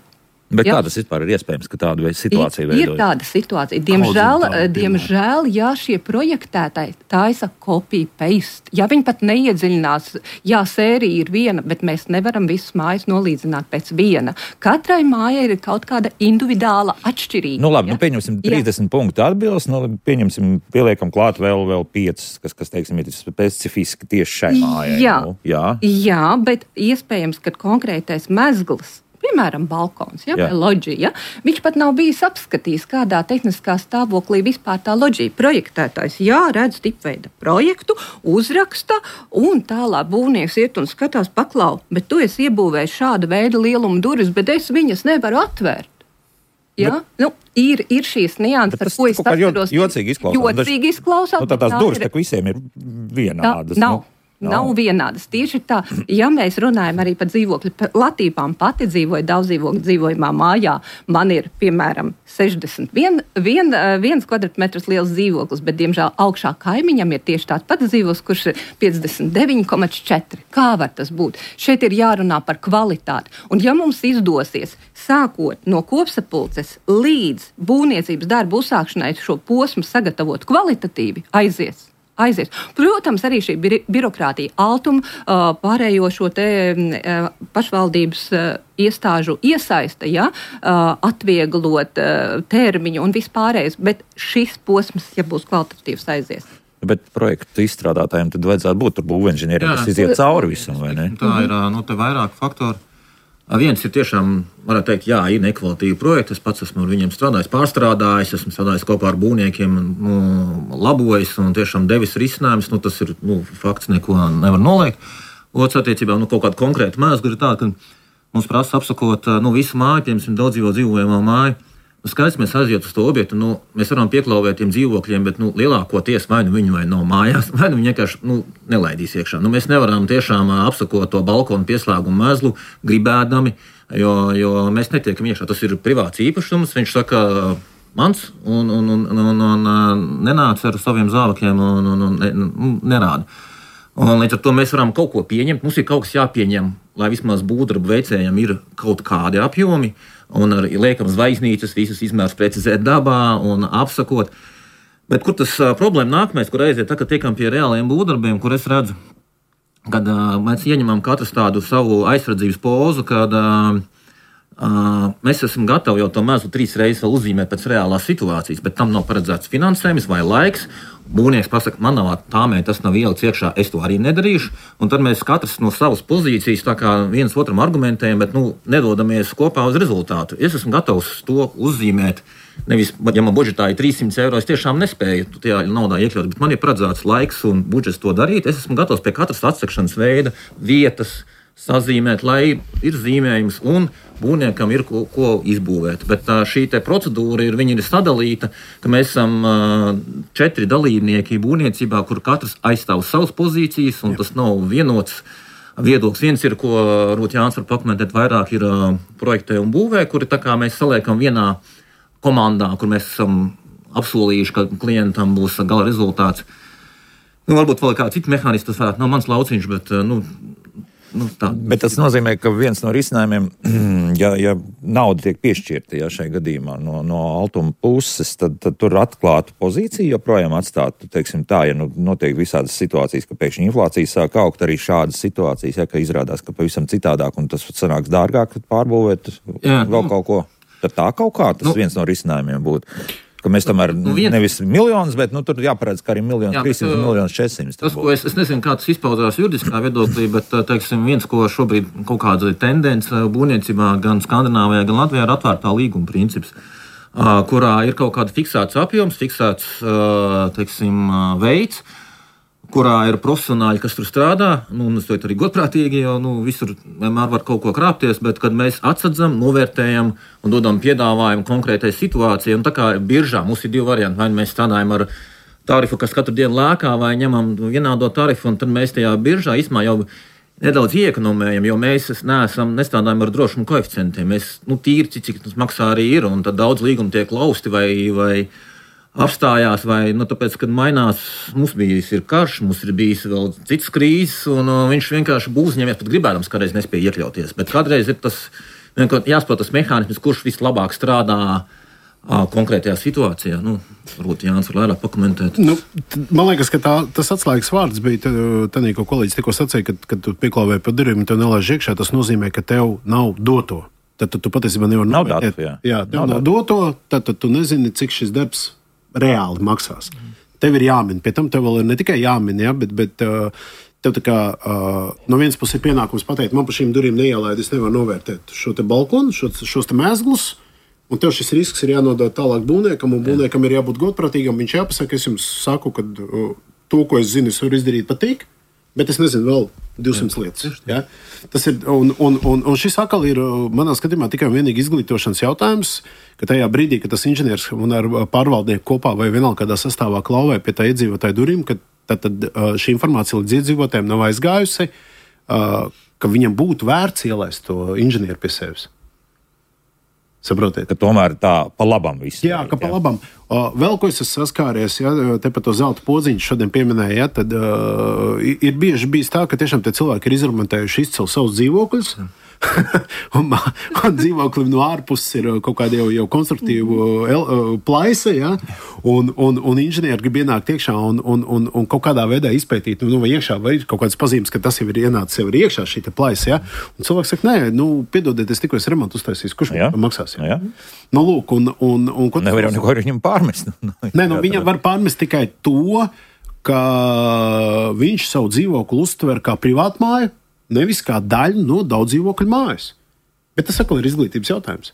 Bet Jā. kā tas vispār ir iespējams, ka tāda situācija veidojas? Ir, ir tāda situācija. Diemžēl, diemžēl ja šie projektētāji taisa copy-paste, ja viņi pat neiedziļinās, jā, sērija ir viena, bet mēs nevaram visas mājas nolīdzināt pēc viena. Katrai mājai ir kaut kāda individuāla atšķirība. Nu labi, ja? nu pieņemsim trīsdesmit jā. Punktu atbilst, nu pieņemsim, pieliekam klāt vēl, vēl piecas, kas, kas teiksim, ir specifiski tieši šai mājai. Jā, nu, jā. jā, bet iespējams, ka konkrētais mezgls, piemēram, balkons, ja, vai loģija, viņš pat nav bijis apskatījis, kādā tehniskā stāvoklī vispār tā loģija. Projektētājs, jā, redz tipveida projektu, uzraksta, un tālāk būvnieks iet un skatās, paklau, bet tu esi iebūvējis šāda veida lielumu durvis, bet es viņas nevaru atvērt. Ja? Bet, nu, ir, ir šīs nianses, par ko es saskaros. Jocīgi izklausās. Jocīgi izklausās. Nu, tā tās durvis, ir... tā visiem ir vienādas. Tā, nav. Nav no. vienādas. Tieši tā, ja mēs runājam arī par dzīvokļu platībām, pati dzīvoju daudz dzīvokļu dzīvojumā mājā, man ir, piemēram, sešdesmit viens kvadrātmetrs liels dzīvoklis, bet, diemžēl, augšā kaimiņam ir tieši tāds pats dzīvoklis, kurš ir piecdesmit deviņi komats četri. Kā var tas būt? Šeit ir jārunā par kvalitāti. Un ja mums izdosies, sākot no kopsapulces līdz būvniecības darbu uzsākšanai šo posmu sagatavot kvalitatīvi, aizies. Aizies. Protams, arī šī bi- birokrātija, altuma, uh, pārējo šo te uh, pašvaldības uh, iestāžu iesaista, ja, uh, atvieglot uh, termiņu un vispārējais, bet šis posms, ja būs kvalitatīvs, aizies. Bet projektu izstrādātājiem tad vajadzētu būt tur būvinženieriem, kas iziet cauri visam, vai ne? Tā ir, nu, te vairāk faktori. Viens ir tiešām, varētu teikt, jā, ir nekvalitīvi projekti. Es pats esmu ar viņiem strādājis, pārstrādājis, esmu strādājis kopā ar būvniekiem, nu, labojis un tiešām devis risinājumus. Nu, tas ir nu, fakts, neko nevar noliegt. Otrs attiecībā nu, kaut kāda konkrēta mēsga ir tāda, ka mums prasa apsakot nu, visu māju, piemēram, daudz dzīvo dzīvojamā māju. Nu, skaidrs, mēs aiziet uz to objektu, nu, mēs varam pieklauvēt tiem dzīvokļiem, bet nu, lielākoties vai nu viņi vai nav mājās, vai nu viņi vienkārši nu, nelaidīs iekšā. Nu, mēs nevaram tiešām apsakot to balkonu pieslēgumu mezglu gribēdami, jo, jo mēs netiekam iekšā. Tas ir privāts īpašums, viņš saka mans un, un, un, un, un nenāc ar saviem zābakiem un, un, un, un nerāda. Un līdz ar to mēs varam kaut ko pieņemt. Mums ir kaut kas jāpieņem, lai vismaz būvdarbu veicējiem ir kaut kādi apjomi. Un ar liekam zvaigznīcas, visus izmērus precizēt dabā un apsakot. Bet kur tas uh, problēma nākamais, kur aiziet, tā, kad tiekam pie reāliem būvdarbiem, kur es redzu, kad uh, mēs ieņemam katrs tādu savu aizsardzības pozu, kad uh, uh, mēs esam gatavi jau to mezglu trīs reizes vēl uzzīmēt pēc reālās situācijas, bet tam nav paredzēts finansējums vai laiks. Būvnieks pasaka, man nav tāmē, tas nav ielikts iekšā, es to arī nedarīšu. Un tad mēs katrs no savas pozīcijas tā kā viens otram argumentējam, bet nu, nedodamies kopā uz rezultātu. Es esmu gatavs to uzzīmēt. Nevis, ja man budžetā ir trīssimts eiro, es tiešām nespēju tajā naudā iekļaut, bet man ir paredzēts laiks un budžets to darīt. Es esmu gatavs pie katras atsekšanas veida, vietas sazīmēt, lai ir zīmējums un būvniekam ir ko, ko izbūvēt. Bet tā, šī te procedūra ir, viņa ir sadalīta, ka mēs esam uh, četri dalībnieki būvniecībā, kur katrs aizstāv savas pozīcijas, un Jā. Tas nav vienots viedoklis. Viens ir, ko varbūt Jānis var pakomentēt vairāk, ir uh, projektē un būvē, kuri tā kā mēs saliekam vienā komandā, kur mēs esam apsolījuši, ka klientam būs gala rezultāts. Nu, varbūt vēl kāds cits mehānisms, tas varētu nav mans lauciņš, bet, nu, nu tā. Bet tas nozīmē, ka viens no risinājumiem, ja, ja nauda tiek piešķirta, ja šai gadījumā no, no Altuma puses, tad, tad tur atklātu pozīciju joprojām atstātu, teiksim tā, ja nu, notiek visādas situācijas, ka pēkšņi inflācija sāk augt, arī šādas situācijas, ja, ka izrādās, ka pavisam citādāk un tas sanāks dārgāk pārbūvēt Jā. vēl kaut ko. Tad tā kaut kā tas nu, viens no risinājumiem būtu. Ka mēs tomēr nu, vien... nevis miljonus, bet nu, tur jāparedz, ka arī miljons trīssimts, miljons četrsimts. Tas, ko es, es nezinu, kā tas izpaudās juridiskā viedoklī, bet, teiksim, viens, ko šobrīd kaut kāda tendence būvniecībā gan Skandināvijā, gan Latvijā ir atvērtā līguma princips, kurā ir kaut kāda fiksēts apjoms, fiksēts, teiksim, veids, kurā ir profesionāļi, kas tur strādā, nu, un es to arī godprātīgi, jo nu, visur vienmēr var kaut ko krāpties, bet kad mēs atsadzam, novērtējam un dodam piedāvājumu konkrētai situācijai, un tā kā biržā mums ir divi varianti, vai mēs strādājam ar tarifu, kas katru dienu lēkā, vai ņemam vienādo tarifu, un tad mēs tajā biržā īsmā jau nedaudz iekonomējam, jo mēs neesam, nestrādājam ar drošumu koeficientiem. Mēs, nu, tīri, cik tas maksā arī ir, un tad daudz līgumu tiek lausti vai, vai apstājās, vai, nu, tāpēc, kad mainās, mums bijis ir karš, mums ir bijis vēl cits krīzes, un uh, viņš vienkārši būs ņemies, pat gribēdams, kādreiz nespēja iekļauties. Bet kādreiz ir tas, jāsaprot tas mehānisms, kurš vislabāk strādā uh, konkrētajā situācijā. Nu, varbūt Jānis var vairāk pakomentēt. Nu, t- man liekas, ka tā, tas atslēgas vārds bija tādā, ko kolēģis tikko sacīja, kad, kad tu pieklāvēji pa durvīm un tev nelaiž iekšā, tas nozīmē, ka tev nav doto. Tad tu, tu patiesībā nevar novērtēt. Jā, jā tev nav, nav doto, tad, tad tu nezini, cik šis darbs reāli maksās. Mm. Tev ir jāmin, pie tam tev vēl ir ne tikai jāmin, ja, bet, bet uh, tev tā kā uh, no vienas puses ir pienākums pateikt, man pa šīm durvīm neielaid, es nevaru novērtēt šo te balkonu, šo, šos te mēzglus, un tev šis risks ir jānodod tālāk būvniekam, un būvniekam ir jābūt godprātīgam, viņš jāpasaka, es jums saku, ka uh, to, ko es zinu, es varu izdarīt patīk, bet es nezinu vēl divsimt lietas. Ja? Tas ir, un, un, un, un šis atkal ir, manā skatījumā, tikai un vienīgi izglītošanas jautājums, ka tajā brīdī, kad tas inženieris un ar pārvaldnieku kopā vai vienalga kādā sastāvā klauvē pie tā iedzīvotāju durvīm, ka tad, tad šī informācija līdz iedzīvotājiem nav aizgājusi, ka viņam būtu vērts ielaist to inženieru pie sevis. Saprotiet? Ka tomēr tā pa labam viss. Jā, ka pa labam. Uh, vēl ko es esmu saskāries, ja, te par to zelta podziņu šodien pieminēju, ja, tad uh, ir bieži bijis tā, ka tiešām tie cilvēki ir izremontējuši izcilu savus dzīvokļus. un, un dzīvoklim no ārpuses ir kaut kāda jau, jau konstruktīva el, plaisa, ja? un, un, un inženieri grib ienākt iekšā un, un, un, un kaut kādā veidā izpētīt, nu, vai iekšā vai ir kaut kādas pazīmes, ka tas jau ir ienācis jau ir iekšā šī plaisa. Ja? Un cilvēks saka, nē, nu, piedodiet, es tikko es remontu uztaisīju, kurš man maksās? Ja? Jā. Nu, lūk, un, un, un, un nevar jau neko ar viņam pārmest. Nē, nu, viņam var pārmest tikai to, ka viņš savu dzīvokli uztver kā privātmāju, nevis kā daļu no daudz dzīvokļu mājas. Bet tas atkal ir izglītības jautājums.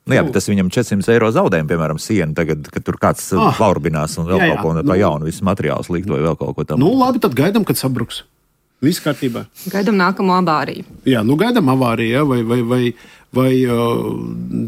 Nu, jā, bet tas viņam četrsimt eiro zaudējumu, piemēram, sienu, tagad, kad tur kāds ah, laurbinās un vēl jā, jā, kaut ko no tā nu, jaunu, visu materiālus likt vai vēl kaut ko tam. Nu, labi, tad gaidam, kad sabruks. Viss kārtībā. Gaidam nākamo avāriju. Jā, nu gaidam avāriju, ja, vai, vai, vai, vai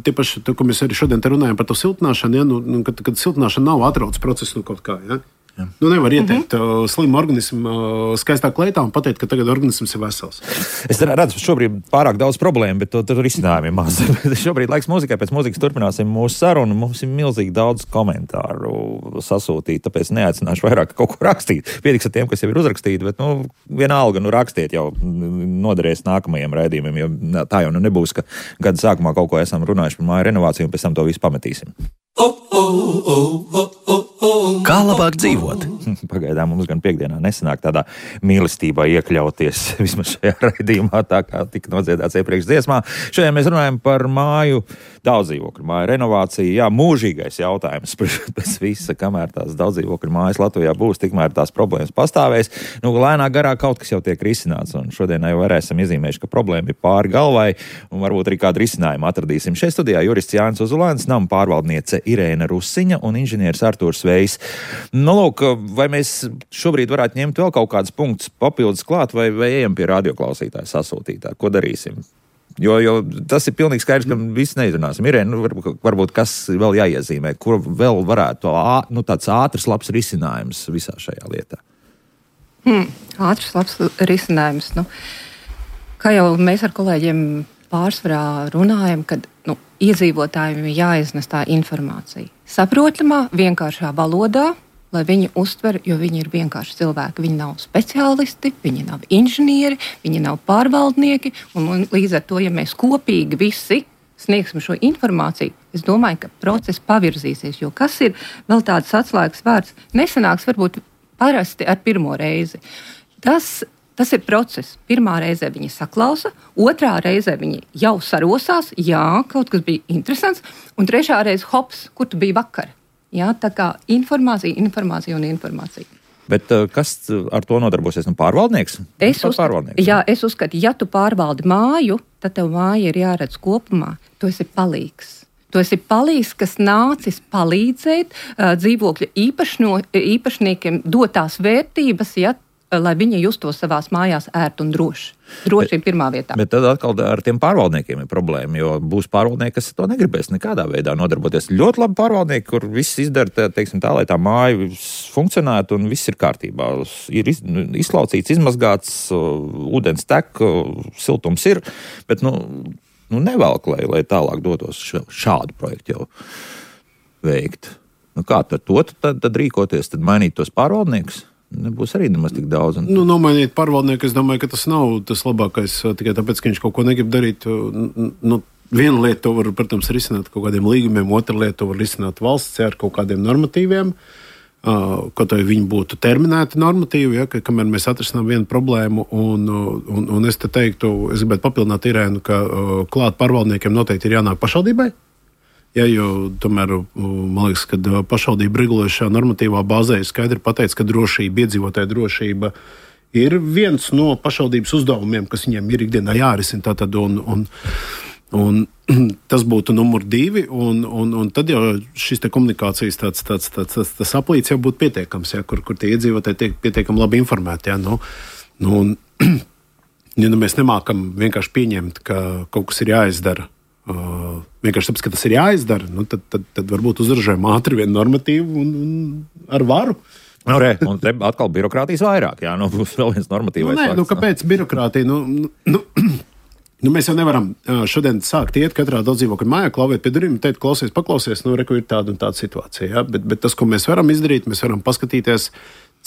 tie paši, to, ko mēs arī šodien te runājam par to siltināšanu, ja, nu, kad, kad siltināšana nav atrauc procesu no kaut kā, ja. Jā. Nu, nevar ieteikt uh-huh. slimu organismu uh, skaistā kleitā un pateikt, ka tagad organisms ir vesels. Es redzu, šobrīd pārāk daudz problēmu, bet tur risinājumi maz. Šobrīd laiks mūzikai, pēc mūzikas turpināsim mūsu sarunu. Mums ir milzīgi daudz komentāru sasūtīt, tāpēc neaicināšu vairāk kaut ko rakstīt. Pietiks ar tiem, kas jau ir uzrakstīti, bet nu, vienalga, nu rakstiet jau noderēs nākamajiem raidījumiem, jo tā jau nu nebūs, ka gada sākumā kaut ko esam runājuši par māju renovāciju un pēc tam to visu pametīsim. Kā labāk dzīvot? Pagaidām mums gan piekdienā nesanāk tādā mīlestībā iekļauties vismaz šajā raidījumā, tā kā tika nodziedāts iepriekš dziesmā. Šodien mēs runājam par māju daudzdzīvokļu māju renovāciju. Jā, mūžīgais jautājums pēc visa, kamēr tās daudzdzīvokļu mājas Latvijā būs, tikmēr tās problēmas pastāvēs. Nu, lēnā garā kaut kas jau tiek risināts, un šodien jau arī esam izzīmējuši, ka problēma ir pāri galvai, un varbūt arī kādu risinājumu atradīsim. Šeit studijā jurists Jānis Ozulēns, nama pārvaldniece Irēna Rusiņa un inženieris Artūrs Vējs. Nu, lūk, vai mēs šobrīd varētu ņemt vēl kaut kādus punktus papildus klāt, vai, vai ejam pie radioklausītāja sasūtītāja? Ko darīsim? Jo, jo tas ir pilnīgi skaidrs, ka viss neizrunāsim. Irēna, nu, varbūt, varbūt kas vēl jāiezīmē, kur vēl varētu nu, tāds ātrs labs risinājums visā šajā lietā? Hmm, ātrs labs risinājums, nu. Kā jau mēs ar kolēģiem pārsvarā runājam, kad nu, iedzīvotājiem ir jāiznes tā informācija. Saprotamā, vienkāršā valodā, lai viņi uztver, jo viņi ir vienkārši cilvēki. Viņi nav speciālisti, viņi nav inženieri, viņi nav pārvaldnieki. Un līdz ar to, ja mēs kopīgi visi sniegsim šo informāciju, es domāju, ka process pavirzīsies. Jo kas ir vēl tāds atslēgas vārds? Nesanāks varbūt parasti ar pirmo reizi. Tas Tas ir process. Pirmā reizē viņi saklausa, otrā reizē viņi jau sarosās, jā, kaut kas bija interesants, un trešā reize hops, kur tu biji vakar. Jā, tā kā informācija, informācija un informācija. Bet kas ar to nodarbosies? Nu, pārvaldnieks? Es, uzskat, jā, es uzskatu, ja tu pārvaldi māju, tad tev māja ir jāredz kopumā. Tu esi palīgs. Tu esi palīgs, kas nācis palīdzēt uh, dzīvokļa īpašno, īpašniekiem dot tās vērtības, ja, lai viņi justos savās mājās ērti un droši. Droši ir pirmā vietā. Bet tad atkal ar tiem pārvaldniekiem ir problēma, jo būs pārvaldnieki, kas to negribēs nekādā veidā nodarboties. Ļoti labi pārvaldnieki, kur viss izdara, teiksim tā, lai tā māja funkcionētu un viss ir kārtībā. Ir iz, izslaucīts, izmazgāts, ūdens tek, siltums ir, bet nu, nu nevelk, lai, lai tālāk dotos šādu projektu jau veikt. Nu kā ar to tad, tad rīkoties, tad mainīt tos pārvaldniekus? Nebūs arī nemaz tik daudz. Un... Nu, nomainīt pārvaldnieku, es domāju, ka tas nav tas labākais tikai tāpēc, ka viņš kaut ko negrib darīt. Nu, viena lieta to var, protams, risināt kaut kādiem līgumiem, otra lieta to var risināt valsts ar kaut kādiem normatīviem, kaut vai viņi būtu terminēti normatīvi, ja, ka, kamēr mēs atrisinām vienu problēmu. Un, un, un es te teiktu, es gribētu papildināt Irēnu, ka klāt pārvaldniekiem noteikti ir jānāk pašvaldībai. Ja, jo tomēr, man liekas, ka pašvaldība regulējušā normatīvā bāzē ir skaidri pateicis, ka drošība, iedzīvotāja drošība ir viens no pašvaldības uzdevumiem, kas viņiem ir ikdienā jārisina. Tātad, un, un, un tas būtu numur divi, un, un, un tad jau šis te komunikācijas tāds, tāds, tāds, tāds, tāds aplīts jau būtu pietiekams, ja, kur, kur tie iedzīvotāji tiek pietiekami labi informēti. Ja, nu, nu, un, ja nu mēs nemākam vienkārši pieņemt, ka kaut kas ir jāizdara, Uh, vienkārši tāpēc, ka tas ir jāizdara, nu, tad, tad, tad varbūt uzražojam ātri vienu normatīvu un, un ar varu. Nu, re, un te atkal birokrātijas vairāk, jā, nu, būs vēl viens normatīvais. Nu, nē, nu, kāpēc birokrātija? Nu, nu, nu, mēs jau nevaram šodien sākt iet katrā daudzdzīvokļa mājā, klauvēt pie durvīm un teikt, klausies, paklausies, nu, reku ir tāda un tāda situācija, jā, bet, bet tas, ko mēs varam izdarīt, mēs varam paskatīties,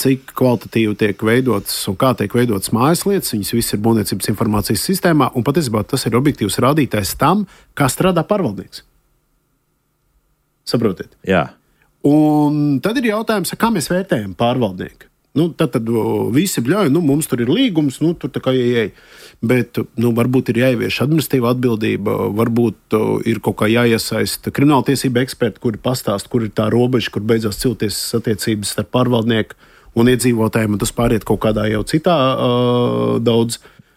cik kvalitatīvi tiek veidotas un kā tiek veidotas mājas lietas. Viņas viss ir būvniecības informācijas sistēmā, un patiesībā tas ir objektīvs rādītājs tam, kā strādā pārvaldnieks. Saprotiet? Jā. Un tad ir jautājums, kā mēs vērtējam pārvaldnieku. Nu, tad, tad visi bļauj, nu, mums tur ir līgums, nu, tur tā kā ieej. Bet, nu, varbūt ir jāievieš administratīva atbildība, varbūt ir kaut kā jāiesaista krimināltiesība eksperti, kuri pastāst, kur ir tā robeža, kur beidzās cilvēktiesas attiecības starp pārvaldnieku un iedzīvotājiem, un tas pāriet kaut kādā jau citā uh, daudz.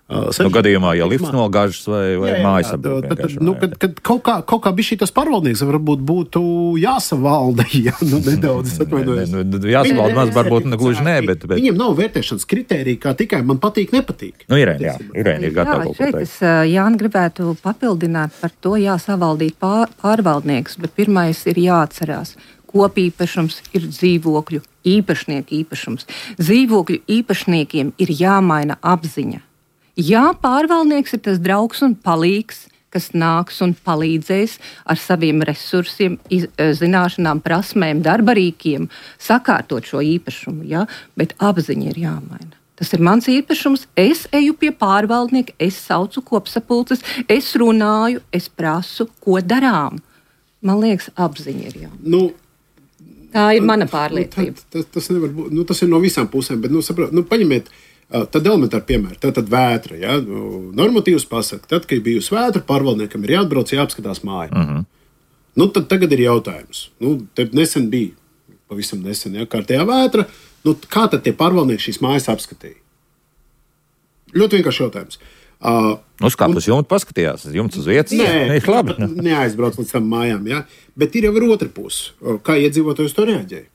Uh, no gadījumā, ja lifts nogāžas vai, vai jā, jā, mājas apdod. Nu, kad, kad kaut kā, kaut kā bišķi tas pārvaldnieks varbūt būtu jāsavalda, ja, nu, nedaudz atvainojos. Ne, ne, jāsavalda maz, varbūt ne gluži nē, bet, bet... Viņiem nav vērtēšanas kritērija, kā tikai man patīk, nepatīk. Nu, Irēna, jā, Irēna ir gatava kaut ko teikt. Es, Jāni, gribētu papildināt par to, jāsavaldīt pār, pārvaldnieks, bet pirmais ir jāatcerās. Kopīpašums ir dzīvokļu īpašnieku īpašums. Dzīvokļu īpašniekiem ir jāmaina apziņa. Jā, pārvaldnieks ir tas draugs un palīgs, kas nāks un palīdzēs ar saviem resursiem, iz, zināšanām, prasmēm, darbarīkiem sakārtot šo īpašumu, ja? Bet apziņa ir jāmaina. Tas ir mans īpašums, es eju pie pārvaldnieka, es saucu kopsapulces, es runāju, es prasu, ko darām. Man liekas, apziņa ir jāmaina. Nu, Tā ir mana pārliecība. Nu, tas, tas, nevar būt, nu, tas ir no visām pusēm, bet nu, saprot, nu, paņemiet tad elementāru piemēru. Tā tad vētra. Ja? Normatīvs pasaka, tad, kad bijusi vētra, pārvaldniekam ir jāatbrauc, jāapskatās māja. Uh -huh. Nu, tad tagad ir jautājums. Nu, te nesen bija, pavisam nesen, ja, kārtējā vētra. Nu, kā tad tie pārvaldnieki šīs mājas apskatīja? Ļoti vienkārši jautājums. Uh, Uzkāpt uz jumta, paskatījās, jumts uz vietas. Nē, ir labi. Neaizbrauc līdz tam mājām, ja? Bet ir jau ir otra puse. Kā iedzīvotājs to reaģēja?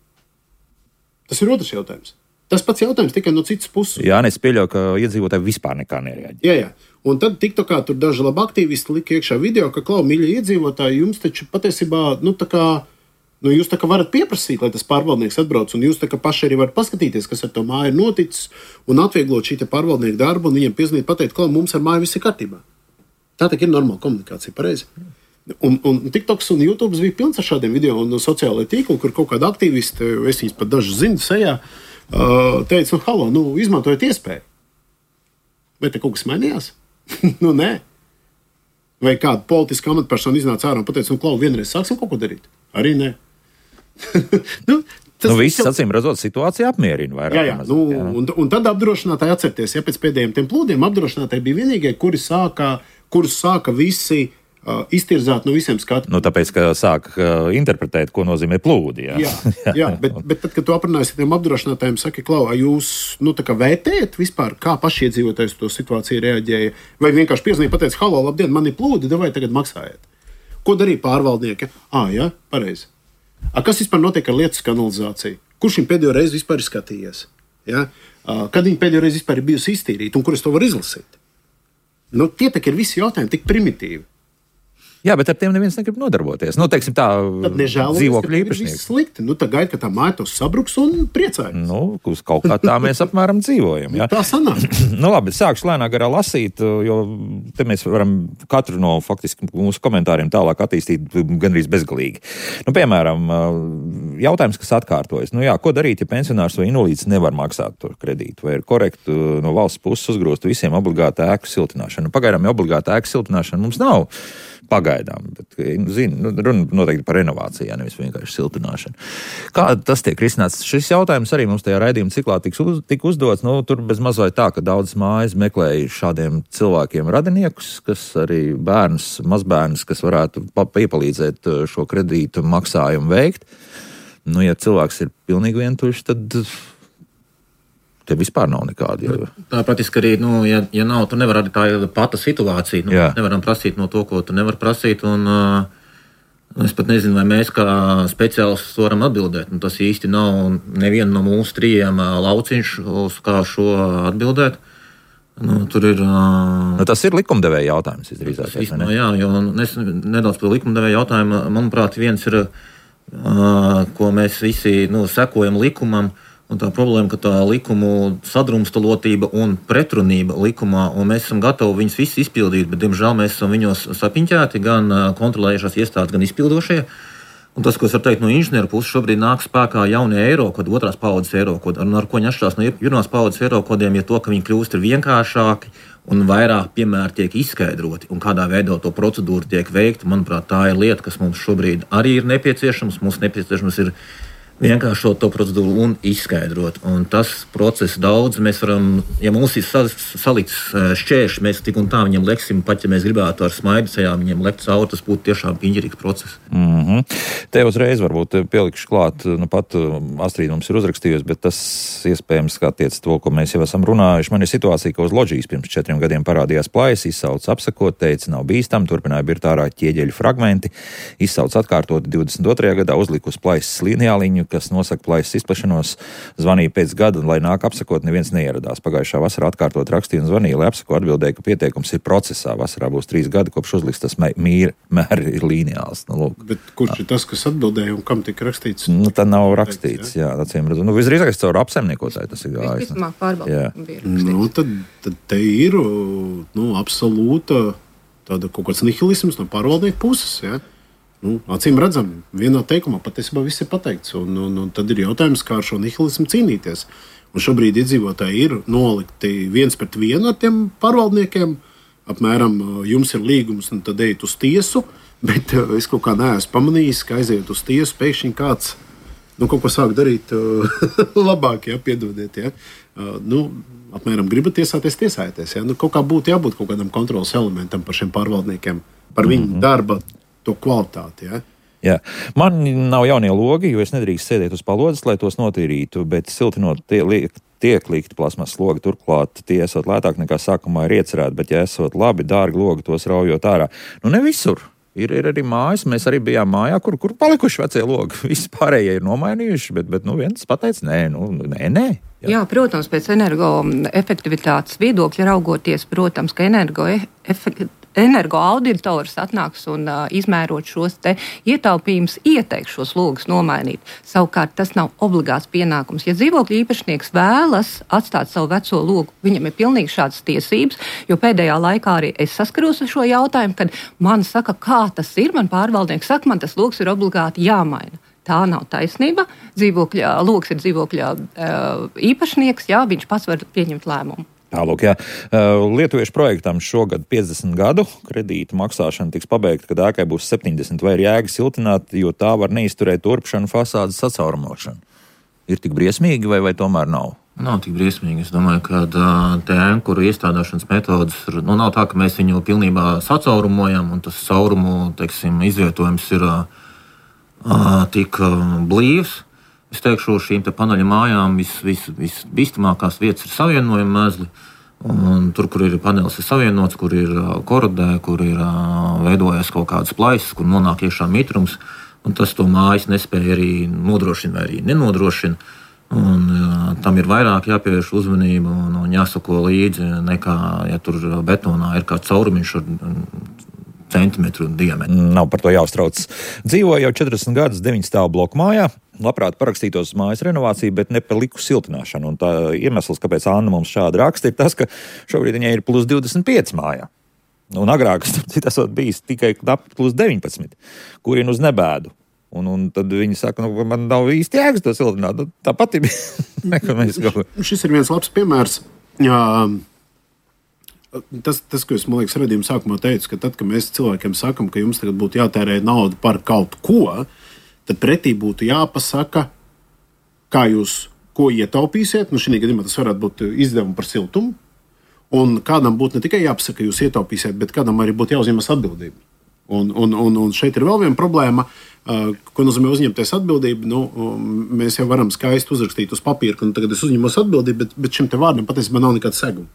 Tas ir otrs jautājums. Tas pats jautājums tikai no citas puses. Jā, es pieļauju, ka iedzīvotāji vispār nekā nereaģē. Jā, jā. Un tad TikTokā tur daži labi aktīvisti lika iekšā video, ka, klau, mīļie iedzīvotāji, jums taču patiesībā, nu, tā kā Nu, jūs tā kā varat pieprasīt, lai tas pārvaldnieks atbrauc, un jūs tā kā paši arī varat paskatīties, kas ar to māju ir noticis, un atvieglot šī pārvaldnieka darbu, un viņiem piezīmēt, pateikt, ka mums ar māju viss ir kārtībā. Tā tā ir normāla komunikācija, pareizi. Un, un TikToks un YouTube bija pilns ar šādiem video un sociālajiem tīkliem, kur kaut kāda aktīvisti, es viņus pat dažus zinu sejā, teica, nu, halo, nu, izmantojiet iespēju. Vai te kaut kas mainījās? Nu, nē. Vai kāda politiska amatpersona iznāca ārā un pateica, nu, Klau, vienreiz sāksim kaut ko darīt? Arī nē. nu, nu, viss, acīm redzot, situācija apmierina vairāk. Jā, jā. Nu, jā. Un, un tad apdrošinātāji atcerieties, ja pēc pēdējiem tiem plūdiem apdrošinātāji bija vienīgie, kuri sāka, kurus sāka visi uh, iztirzāt no visiem skatiem. Nu, tāpēc, ka sāk uh, interpretēt, ko nozīmē plūdi. Jā, jā, jā bet, bet tad, kad tu aprunājies tiem apdrošinātājiem, saki, Klau, jūs nu, tā kā vērtējat vispār, kā paši iedzīvotājs to situāciju reaģēja, vai vienkārši piezīmēja, pateica, halo, labdien, man ir plūdi, vai tagad maksājiet? Ko darīja pārvaldnieki? Ā, jā, pareizi. A, kas vispār notiek ar lietas kanalizāciju? Kurš viņu pēdējo reizi vispār ir skatījies? Ja? Kad viņa pēdējo reizi vispār ir bijusi iztīrīta un kur es to varu izlasīt? Nu, tie tak ir visi jautājumi tik primitīvi. Jā, bet ar tiem neviens negrib nodarboties. Nu, teiksim tā, dzīvokļu īpašnieks. Slikti. Nu, tā gaida, ka tā māja tos sabruks un priecājas. Nu, uz kaut kā tā mēs apmēram dzīvojam. Ja? Tā sanāk. Nu, labi, sākšu lēnā garā lasīt, jo te mēs varam katru no faktiski mūsu komentāriem tālāk attīstīt gandrīz bezgalīgi. Nu, piemēram, jautājums, kas atkārtojas. Nu, jā, ko darīt, ja pensionārs vai invalīds nevar maksāt to kredītu? Vai ir korekti no valsts puses uzgrūst visiem obligāta ēku siltināšanu? Nu, pagaidām obligāta ēku siltināšana mums nav. Pagaidām, bet, zinu, runa noteikti par renovācijām, nevis vienkārši siltināšanu. Kā tas tiek risināts? Šis jautājums arī mums tajā raidījuma ciklā tika uz, tik uzdots. Nu, tur bez mazliet tā, ka daudz mājas meklēja šādiem cilvēkiem radiniekus, kas arī bērnus, mazbērnus, kas varētu piepalīdzēt šo kredītu maksājumu veikt. Nu, ja cilvēks ir pilnīgi vientuļš, tad te vispār nav nekāda. Jo... Tā praktiski arī, nu, ja, ja nav, tu nevar arī tā pata situācija. Nu, mēs nevaram prasīt no to, ko tu nevar prasīt. Un, uh, es pat nezinu, vai mēs kā speciālisti varam atbildēt. Nu, tas īsti nav neviena no mūsu trījiem uh, lauciņš, uz kā šo atbildēt. Nu, tur ir... Uh, nu, tas ir likumdevēja jautājums, izrīzāk. Nu, jā, jo es nedaudz par likumdevēja jautājumu. Manuprāt, viens ir, uh, ko mēs visi nu, sekojam likumam, un tā problēma, ka tā likumu sadrumstalotība un pretrunība likumā, un mēs esam gatavi viņus visus izpildīt, bet, diemžēl, mēs esam viņos sapiņķēti, gan kontrolējušās iestādes, gan izpildošie. Un tas, ko es varu teikt no inženieru puses, šobrīd nāk spēkā jaunie eiro kodi, otrās paudzes eiro kodi, un ar ko viņi atšķirās no pirmās paudzes eiro kodiem, ir to, ka viņi kļūst ir vienkāršāki un vairāk piemēri tiek izskaidroti, un kādā veidā to procedūru tiek veikta. Manuprāt, tā ir lieta, kas mums šobrīd arī ir nepieciešams. Mums nepieciešams ir vienkāršot to procedūru un izskaidrot. Un tas process daudz, mēs varam, ja mums ir salikts šķēršļi, mēs tik un tā viņiem leksim, pat ja mēs gribētu ar smaidu sejā viņiem lekt cauri, tas būtu tiešām piņķerīgs process. Mm-hmm. Te uzreiz varbūt pielikšu klāt, nu pat Astrīda mums ir uzrakstījusi, bet tas iespējams kā tiec to, ko mēs jau esam runājuši. Man ir situācija, ka uz loģijas pirms četriem gadiem parādījās plājas, izsauc apsakot, teica, nav bīstam, turpināja birt ārā ķieģeļu fragmenti, izsauc atkārtot divdesmit otrajā gadā, uzliku uz plājas lineāliņu, kas nosaka plaisas izplešanos, zvanīja pēc gada, un, lai nāk apsakot, neviens neieradās. Pagājušā vasarā atkārtot rakstīja un zvanīja, lai apsako atbildēja, ka pieteikums ir procesā. Vasarā būs trīs gadi, kopš uzliks tas mīra, mēri ir lineāls. Nu, bet kurš ir tas, kas atbildēja un kam tika rakstīts? Nu, tā nav rakstīts, jā, acīm redzot. Nu, visdrīzāk caur apsaimniekotāju tas ir gājis. Visticamāk pārbaudījums bija rakstīts. Nu, tad, tad te ir, nu, absolūta tāda kaut kāds nihilisms no pārvaldnieku puses, jā. Nu, acīm redzam, vienā teikumā patiesībā viss ir pateikts, un, un, un tad ir jautājums, kā ar šo nihilismu cīnīties. Un šobrīd iedzīvotāji ir nolikti viens pret vienu ar tiem pārvaldniekiem, apmēram jums ir līgums, un tad ejiet uz tiesu, bet es kaut kā neesmu pamanījis, ka aiziet uz tiesu, pēkšņi kāds nu, kaut ko sāk darīt labāk, ja, piedodiet, ja. Nu, apmēram gribat tiesāties, tiesājieties, ja. Nu, kaut kā būtu jābūt kaut kādam kontrolas elementam par šiem pārvaldniekiem, par viņu mm-hmm. darba to kvalitāti, ja? Jā. Man nav jaunie logi, jo es nedrīkst sēdēt uz palodzes, lai tos notīrītu, bet siltinot tie, liek, tiek likti plasmas logi, turklāt tie esot lētāk nekā sākumā ir iecerēti, bet ja esot labi, dārgi logi, tos raujot ārā. Nu, ne visur. Ir, ir arī mājas, mēs arī bijām mājā, kur, kur palikuši vecie logi. Visi pārējie ir nomainījuši, bet, bet nu, viens pateica, nē, nu, nē, nē. Jā. Jā, protams, pēc energoefektivitātes viedokļa raugoties, protams, ka energoefektivitāte energo auditors atnāks un uh, izmērot šos te ietaupījumus, ieteiks šos logus nomainīt. Savukārt tas nav obligāts pienākums. Ja dzīvokļu īpašnieks vēlas atstāt savu veco logu, viņam ir pilnīgi šādas tiesības, jo pēdējā laikā arī es saskaros ar šo jautājumu, kad man saka, kā tas ir, man pārvaldnieks saka, man tas logs ir obligāti jāmaina. Tā nav taisnība. Dzīvokļa, logs ir dzīvokļa uh, īpašnieks, jā, viņš pats var pieņemt lēmumu. Tālūk, jā. Lietuviešu projektam šogad piecdesmit gadu kredīta maksāšana tiks pabeigta, kad ēkai būs septiņdesmit, vai ir jēga siltināt, jo tā var neizturēt turpšanu, fasādes sacaurumošanu. Ir tik briesmīgi vai, vai tomēr nav? Nav tik briesmīgi. Es domāju, ka te ēnkuru iestādāšanas metodas, nu nav tā, ka mēs viņu pilnībā sacaurumojam, un tas caurumu, teiksim, izvietojums ir uh, tik uh, blīvs. Es teikšu, šīm te paneļa mājām visbīstamākās vis, vis vietas ir savienojuma mezli. Un tur, kur ir panelis ir savienots, kur ir korodē, kur ir veidojies kaut kādas plaisas, kur nonāk iekšā mitrums. Un tas to mājas nespēja arī nodrošina vai arī nenodrošina. Un, uh, tam ir vairāk jāpievērš uzmanība un, un jāsako līdzi, nekā, ja tur betonā ir kāds caurumiņš ar centimetru diametru. Nav par to jāuztrauc. Dzīvoju jau četrdesmit gadus deviņu stāvu bloku mājā. Labprāt parakstītos mājas renovāciju, bet ne par liku siltināšanu. Un tā iemesls, kāpēc Anna mums šādi raksta, ir tas, ka šobrīd viņai ir plus divdesmit pieci mājā. Un agrāk tas bijis tikai knapi plus deviņpadsmit, kurien uz nebēdu. Un, un tad viņi saka, nu, man nav īsti jēgas to siltināt. Nu, tāpat ir. Šis ir viens labs piemērs. Jā, tas, tas, ko es, man liekas, redzījuma sākumā teicu, ka tad, kad mēs cilvēkiem sakam, ka jums tagad būtu jātērē naudu par kaut ko, tad pretī būtu jāpasaka, kā jūs ko ietaupīsiet. Nu, šī gadījumā tas varētu būt izdevumi par siltumu. Un kādam būtu ne tikai jāpasaka, ka jūs ietaupīsiet, bet kādam arī būtu jāuzņemas atbildība. Un, un, un, un šeit ir vēl viena problēma, uh, ko nozīmē uzņemties atbildību. Nu, mēs jau varam skaisti uzrakstīt uz papīra, ka nu, tagad es uzņemos atbildību, bet, bet šim te vārdam patiesībā nav nekāda seguma.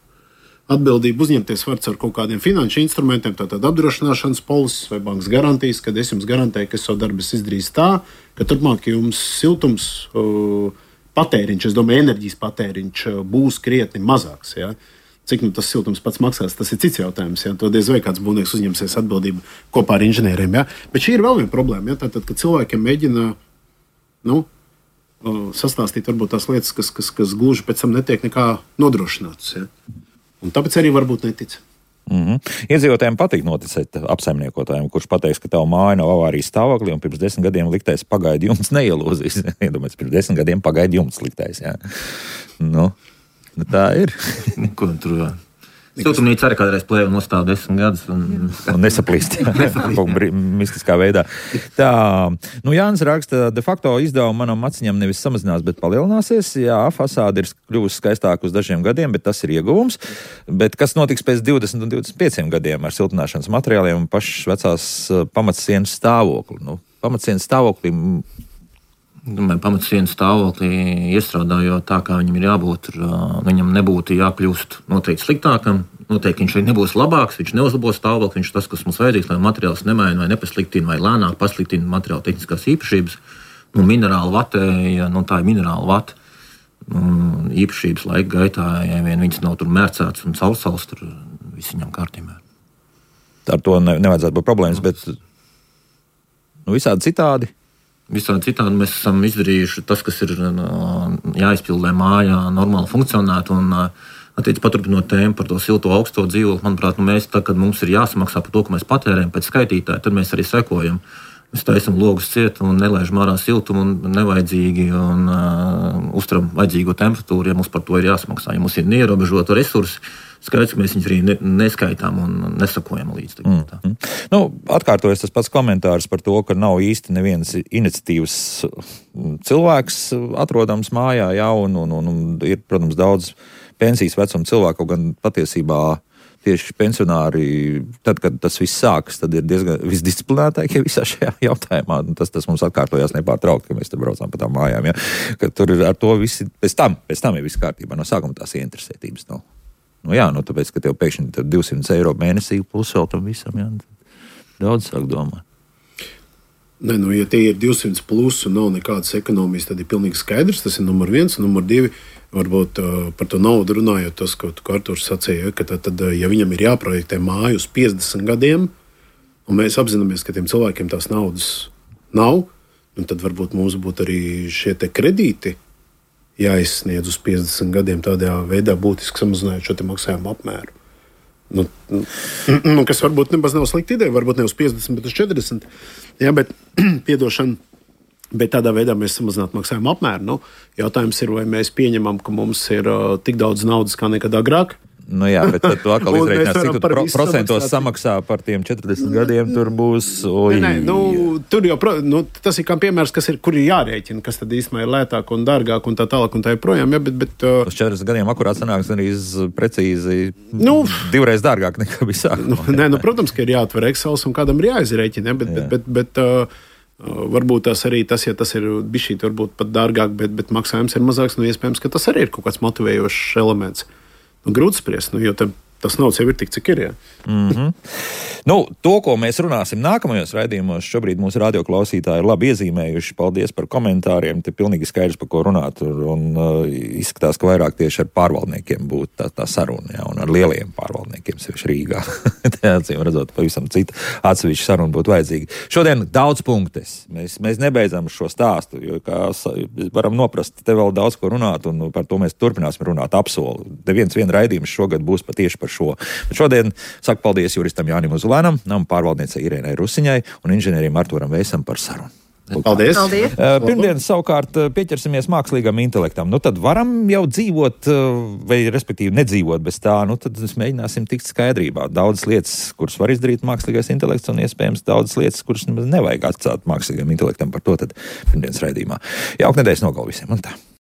Atbildību uzņemties var ar kaut kādiem finanšu instrumentiem, tātad apdrošināšanas polises vai bankas garantijas, kad es jums garantēju, ka es savu darbu izdarīšu tā, ka turpmāk jums siltums uh, patēriņš, es domāju, enerģijas patēriņš uh, būs krietni mazāks. Ja? Cik nu tas siltums pats maksās, tas ir cits jautājums. Ja? To diez vai kāds būvnieks uzņemsies atbildību kopā ar inženieriem. Ja? Bet šī ir vēl viena problēma. Ja? Tātad, kad cilvēkiem mēģina nu, uh, sastāstīt varbūt tās lietas, kas, kas, kas gluži pēc tam netiek nekā nodrošinātas. Ja? Un tāpēc arī varbūt netic. Mm-hmm. Iedzīvotājiem patīk noticēt apsaimniekotājiem, kurš pateiks, ka tava māja nav avārijas stāvoklī un pirms desmit gadiem liktais pagaidu jumts neielūzīs. Iedomājies, pirms desmit gadiem pagaidu jumts liktais. Jā. Nu, tā ir. Ko tur vēl? Siltumnīca arī kādreiz plēva nostāv desmit gadus. Un, un nesaplīst. Mistiskā veidā. Tā, nu Jānis raksta, de facto izdevumi manam maciņam nevis samazinās, bet palielināsies. Jā, fasāde ir kļuvusi skaistāka uz dažiem gadiem, bet tas ir ieguvums. Bet kas notiks pēc divdesmit un divdesmit pieciem gadiem ar siltināšanas materiāliem un pašas vecās pamatsienas stāvokli? Nu, pamatsienas stāvokli... Domāju, pamatsienas stāvoklī iestrādājot tā, kā viņam ir jābūt, viņam nebūtu jākļūst noteikti sliktākam, noteikti viņš nebūs labāks, viņš neuzlabos stāvokli, viņš tas, kas mums vajadzīgs, lai materiāls nemaina vai nepasliktina vai lēnāk pasliktina materiāla tehniskās īpašības. Nu, minerāla vate, ja nu, tā ir minerāla vate, nu, īpašības laika gaitā, ja vien viņas nav tur mērcēts un caursaus, tur viss viņam kārtībā. Ar to ne, nevajadzētu būt problēmas, bet nu, visādi citādi. Visādi citādi mēs esam izdarījuši tas, kas ir jāizpild, lai mājā normāli funkcionētu. Un, attiec, paturpinot tēmu par to silto augsto dzīvokli, manuprāt, nu mēs, tā, kad mums ir jāsamaksā par to, ko mēs patērējam pēc skaitītāja, tad mēs arī sekojam. Mēs taisam logus ciet un nelaižam ārā siltumu un nevajadzīgi un uh, uzturam vajadzīgo temperatūru, ja mums par to ir jāsamaksā. Ja mums ir neierobežota resursi, skaidrs, ka mēs viņus arī ne, neskaitām un nesakojam līdz. Mm, mm. Nu, atkārtojas tas pats komentārs par to, ka nav īsti nevienas iniciatīvas cilvēks atrodams mājā, jā, un, un, un, un ir, protams, daudz pensijas vecuma cilvēku, gan patiesībā tieši pensionāri, tad, kad tas viss sākas, tad ir diezgan visdisciplinētākie visā šajā jautājumā. Tas, tas mums atkārtojās nepārtraukti, ka mēs te braucām pa tām mājām, ja? Ka tur ir ar to visi, pēc tam, pēc tam ir viss kārtībā, no sākuma tās ieinteresētības nav. Nu jā, nu tāpēc, ka tev pēkšņi divsimt eiro mēnesī plus vēl tam visam, jā, daudz sāk domāt. Ne, nu, ja tie ir divsimt plus un nav nekādas ekonomijas, tad ir pilnīgi skaidrs. Tas ir numur viens. Un numur divi, varbūt uh, par to naudu runājot, tas, ko Arturs sacīja, ka tad, tad, ja viņam ir jāprojektē māju uz piecdesmit gadiem, un mēs apzināmies, ka tiem cilvēkiem tās naudas nav, tad varbūt mums būtu arī šie te kredīti jāizsniedz uz piecdesmit gadiem, tādā veidā būtiski samazinājot šo maksājumu apmēru. Nu, nu, kas varbūt nemaz nav slikta ideja, varbūt ne uz piecdesmit, bet uz četrdesmit. Jā, bet piedošana, bet tādā veidā mēs samazinātu maksājumu apmēru. Nu, jautājums ir, vai mēs pieņemam, ka mums ir uh, tik daudz naudas kā nekad agrāk. Nu jā, bet tad tu atkal izreikinās, cik tu pro, procentos samaksā par tiem četrdesmit gadiem, tur būs. Oi, nē, nē, nu, tur jau, nu, tas ir kā piemērs, kas ir, kur ir jārēķina, kas tad īstenībā ir lētāk un dārgāk un tā tālāk un tā joprojām. Ja, bet, bet, uh, uz četrdesmit gadiem akurāt sanāks arī precīzi nu, divreiz dārgāk nekā bija sākumā. Nu, nē, nu, protams, ka ir jāatver Excels un kādam ir jāizrēķina, ja, bet, jā. bet, bet, bet uh, varbūt tas arī tas, ja tas ir bišķīt varbūt pat dārgāk, bet, bet maksājums ir mazāks, nu iespējams, ka tas arī ir kaut kāds motivējošs elements. Nu, grūti spriest, nu, jo tam, tas naudas jau ir tik, cik ir. Jā. Mm-hmm. Nu, to, ko mēs runāsim nākamajos raidījumos, šobrīd mūsu radioklausītāji ir labi iezīmējuši. Paldies par komentāriem. Te pilnīgi skaidrs, par ko runāt. Un uh, izskatās, ka vairāk tieši ar pārvaldniekiem būtu tā, tā saruna, jā, un ar lieliem pārvaldniekiem, sevišķi Rīgā. Tā acīm redzot, pavisam cita atsevišķa saruna būtu vajadzīga. Šodien daudz punktes. Mēs, mēs nebeidzam šo stāstu, jo, kā varam noprast, te vēl daudz ko runāt, un par to mēs turpināsim runāt apsolu. Neviens vien raidījums šogad būs patieši par šo. Bet šodien saku paldies juristam Jānim Uzulēnam, nama pārvaldniecei Irēnai Rusiņai un inženierim Artūram Veisam par sarunu. Paldies! Paldies. Uh, pirmdien savukārt pieķersimies mākslīgam intelektam. Nu tad varam jau dzīvot, vai respektīvi nedzīvot bez tā, nu tad mēs mēģināsim tikt skaidrībā. Daudzas lietas, kuras var izdarīt mākslīgais intelekts, un iespējams daudzas lietas, kuras nevajag atstāt mākslīgam intelektam. Par to tad pirmdienas raidījumā. Jauka nedēļas nogalu visiem un tā.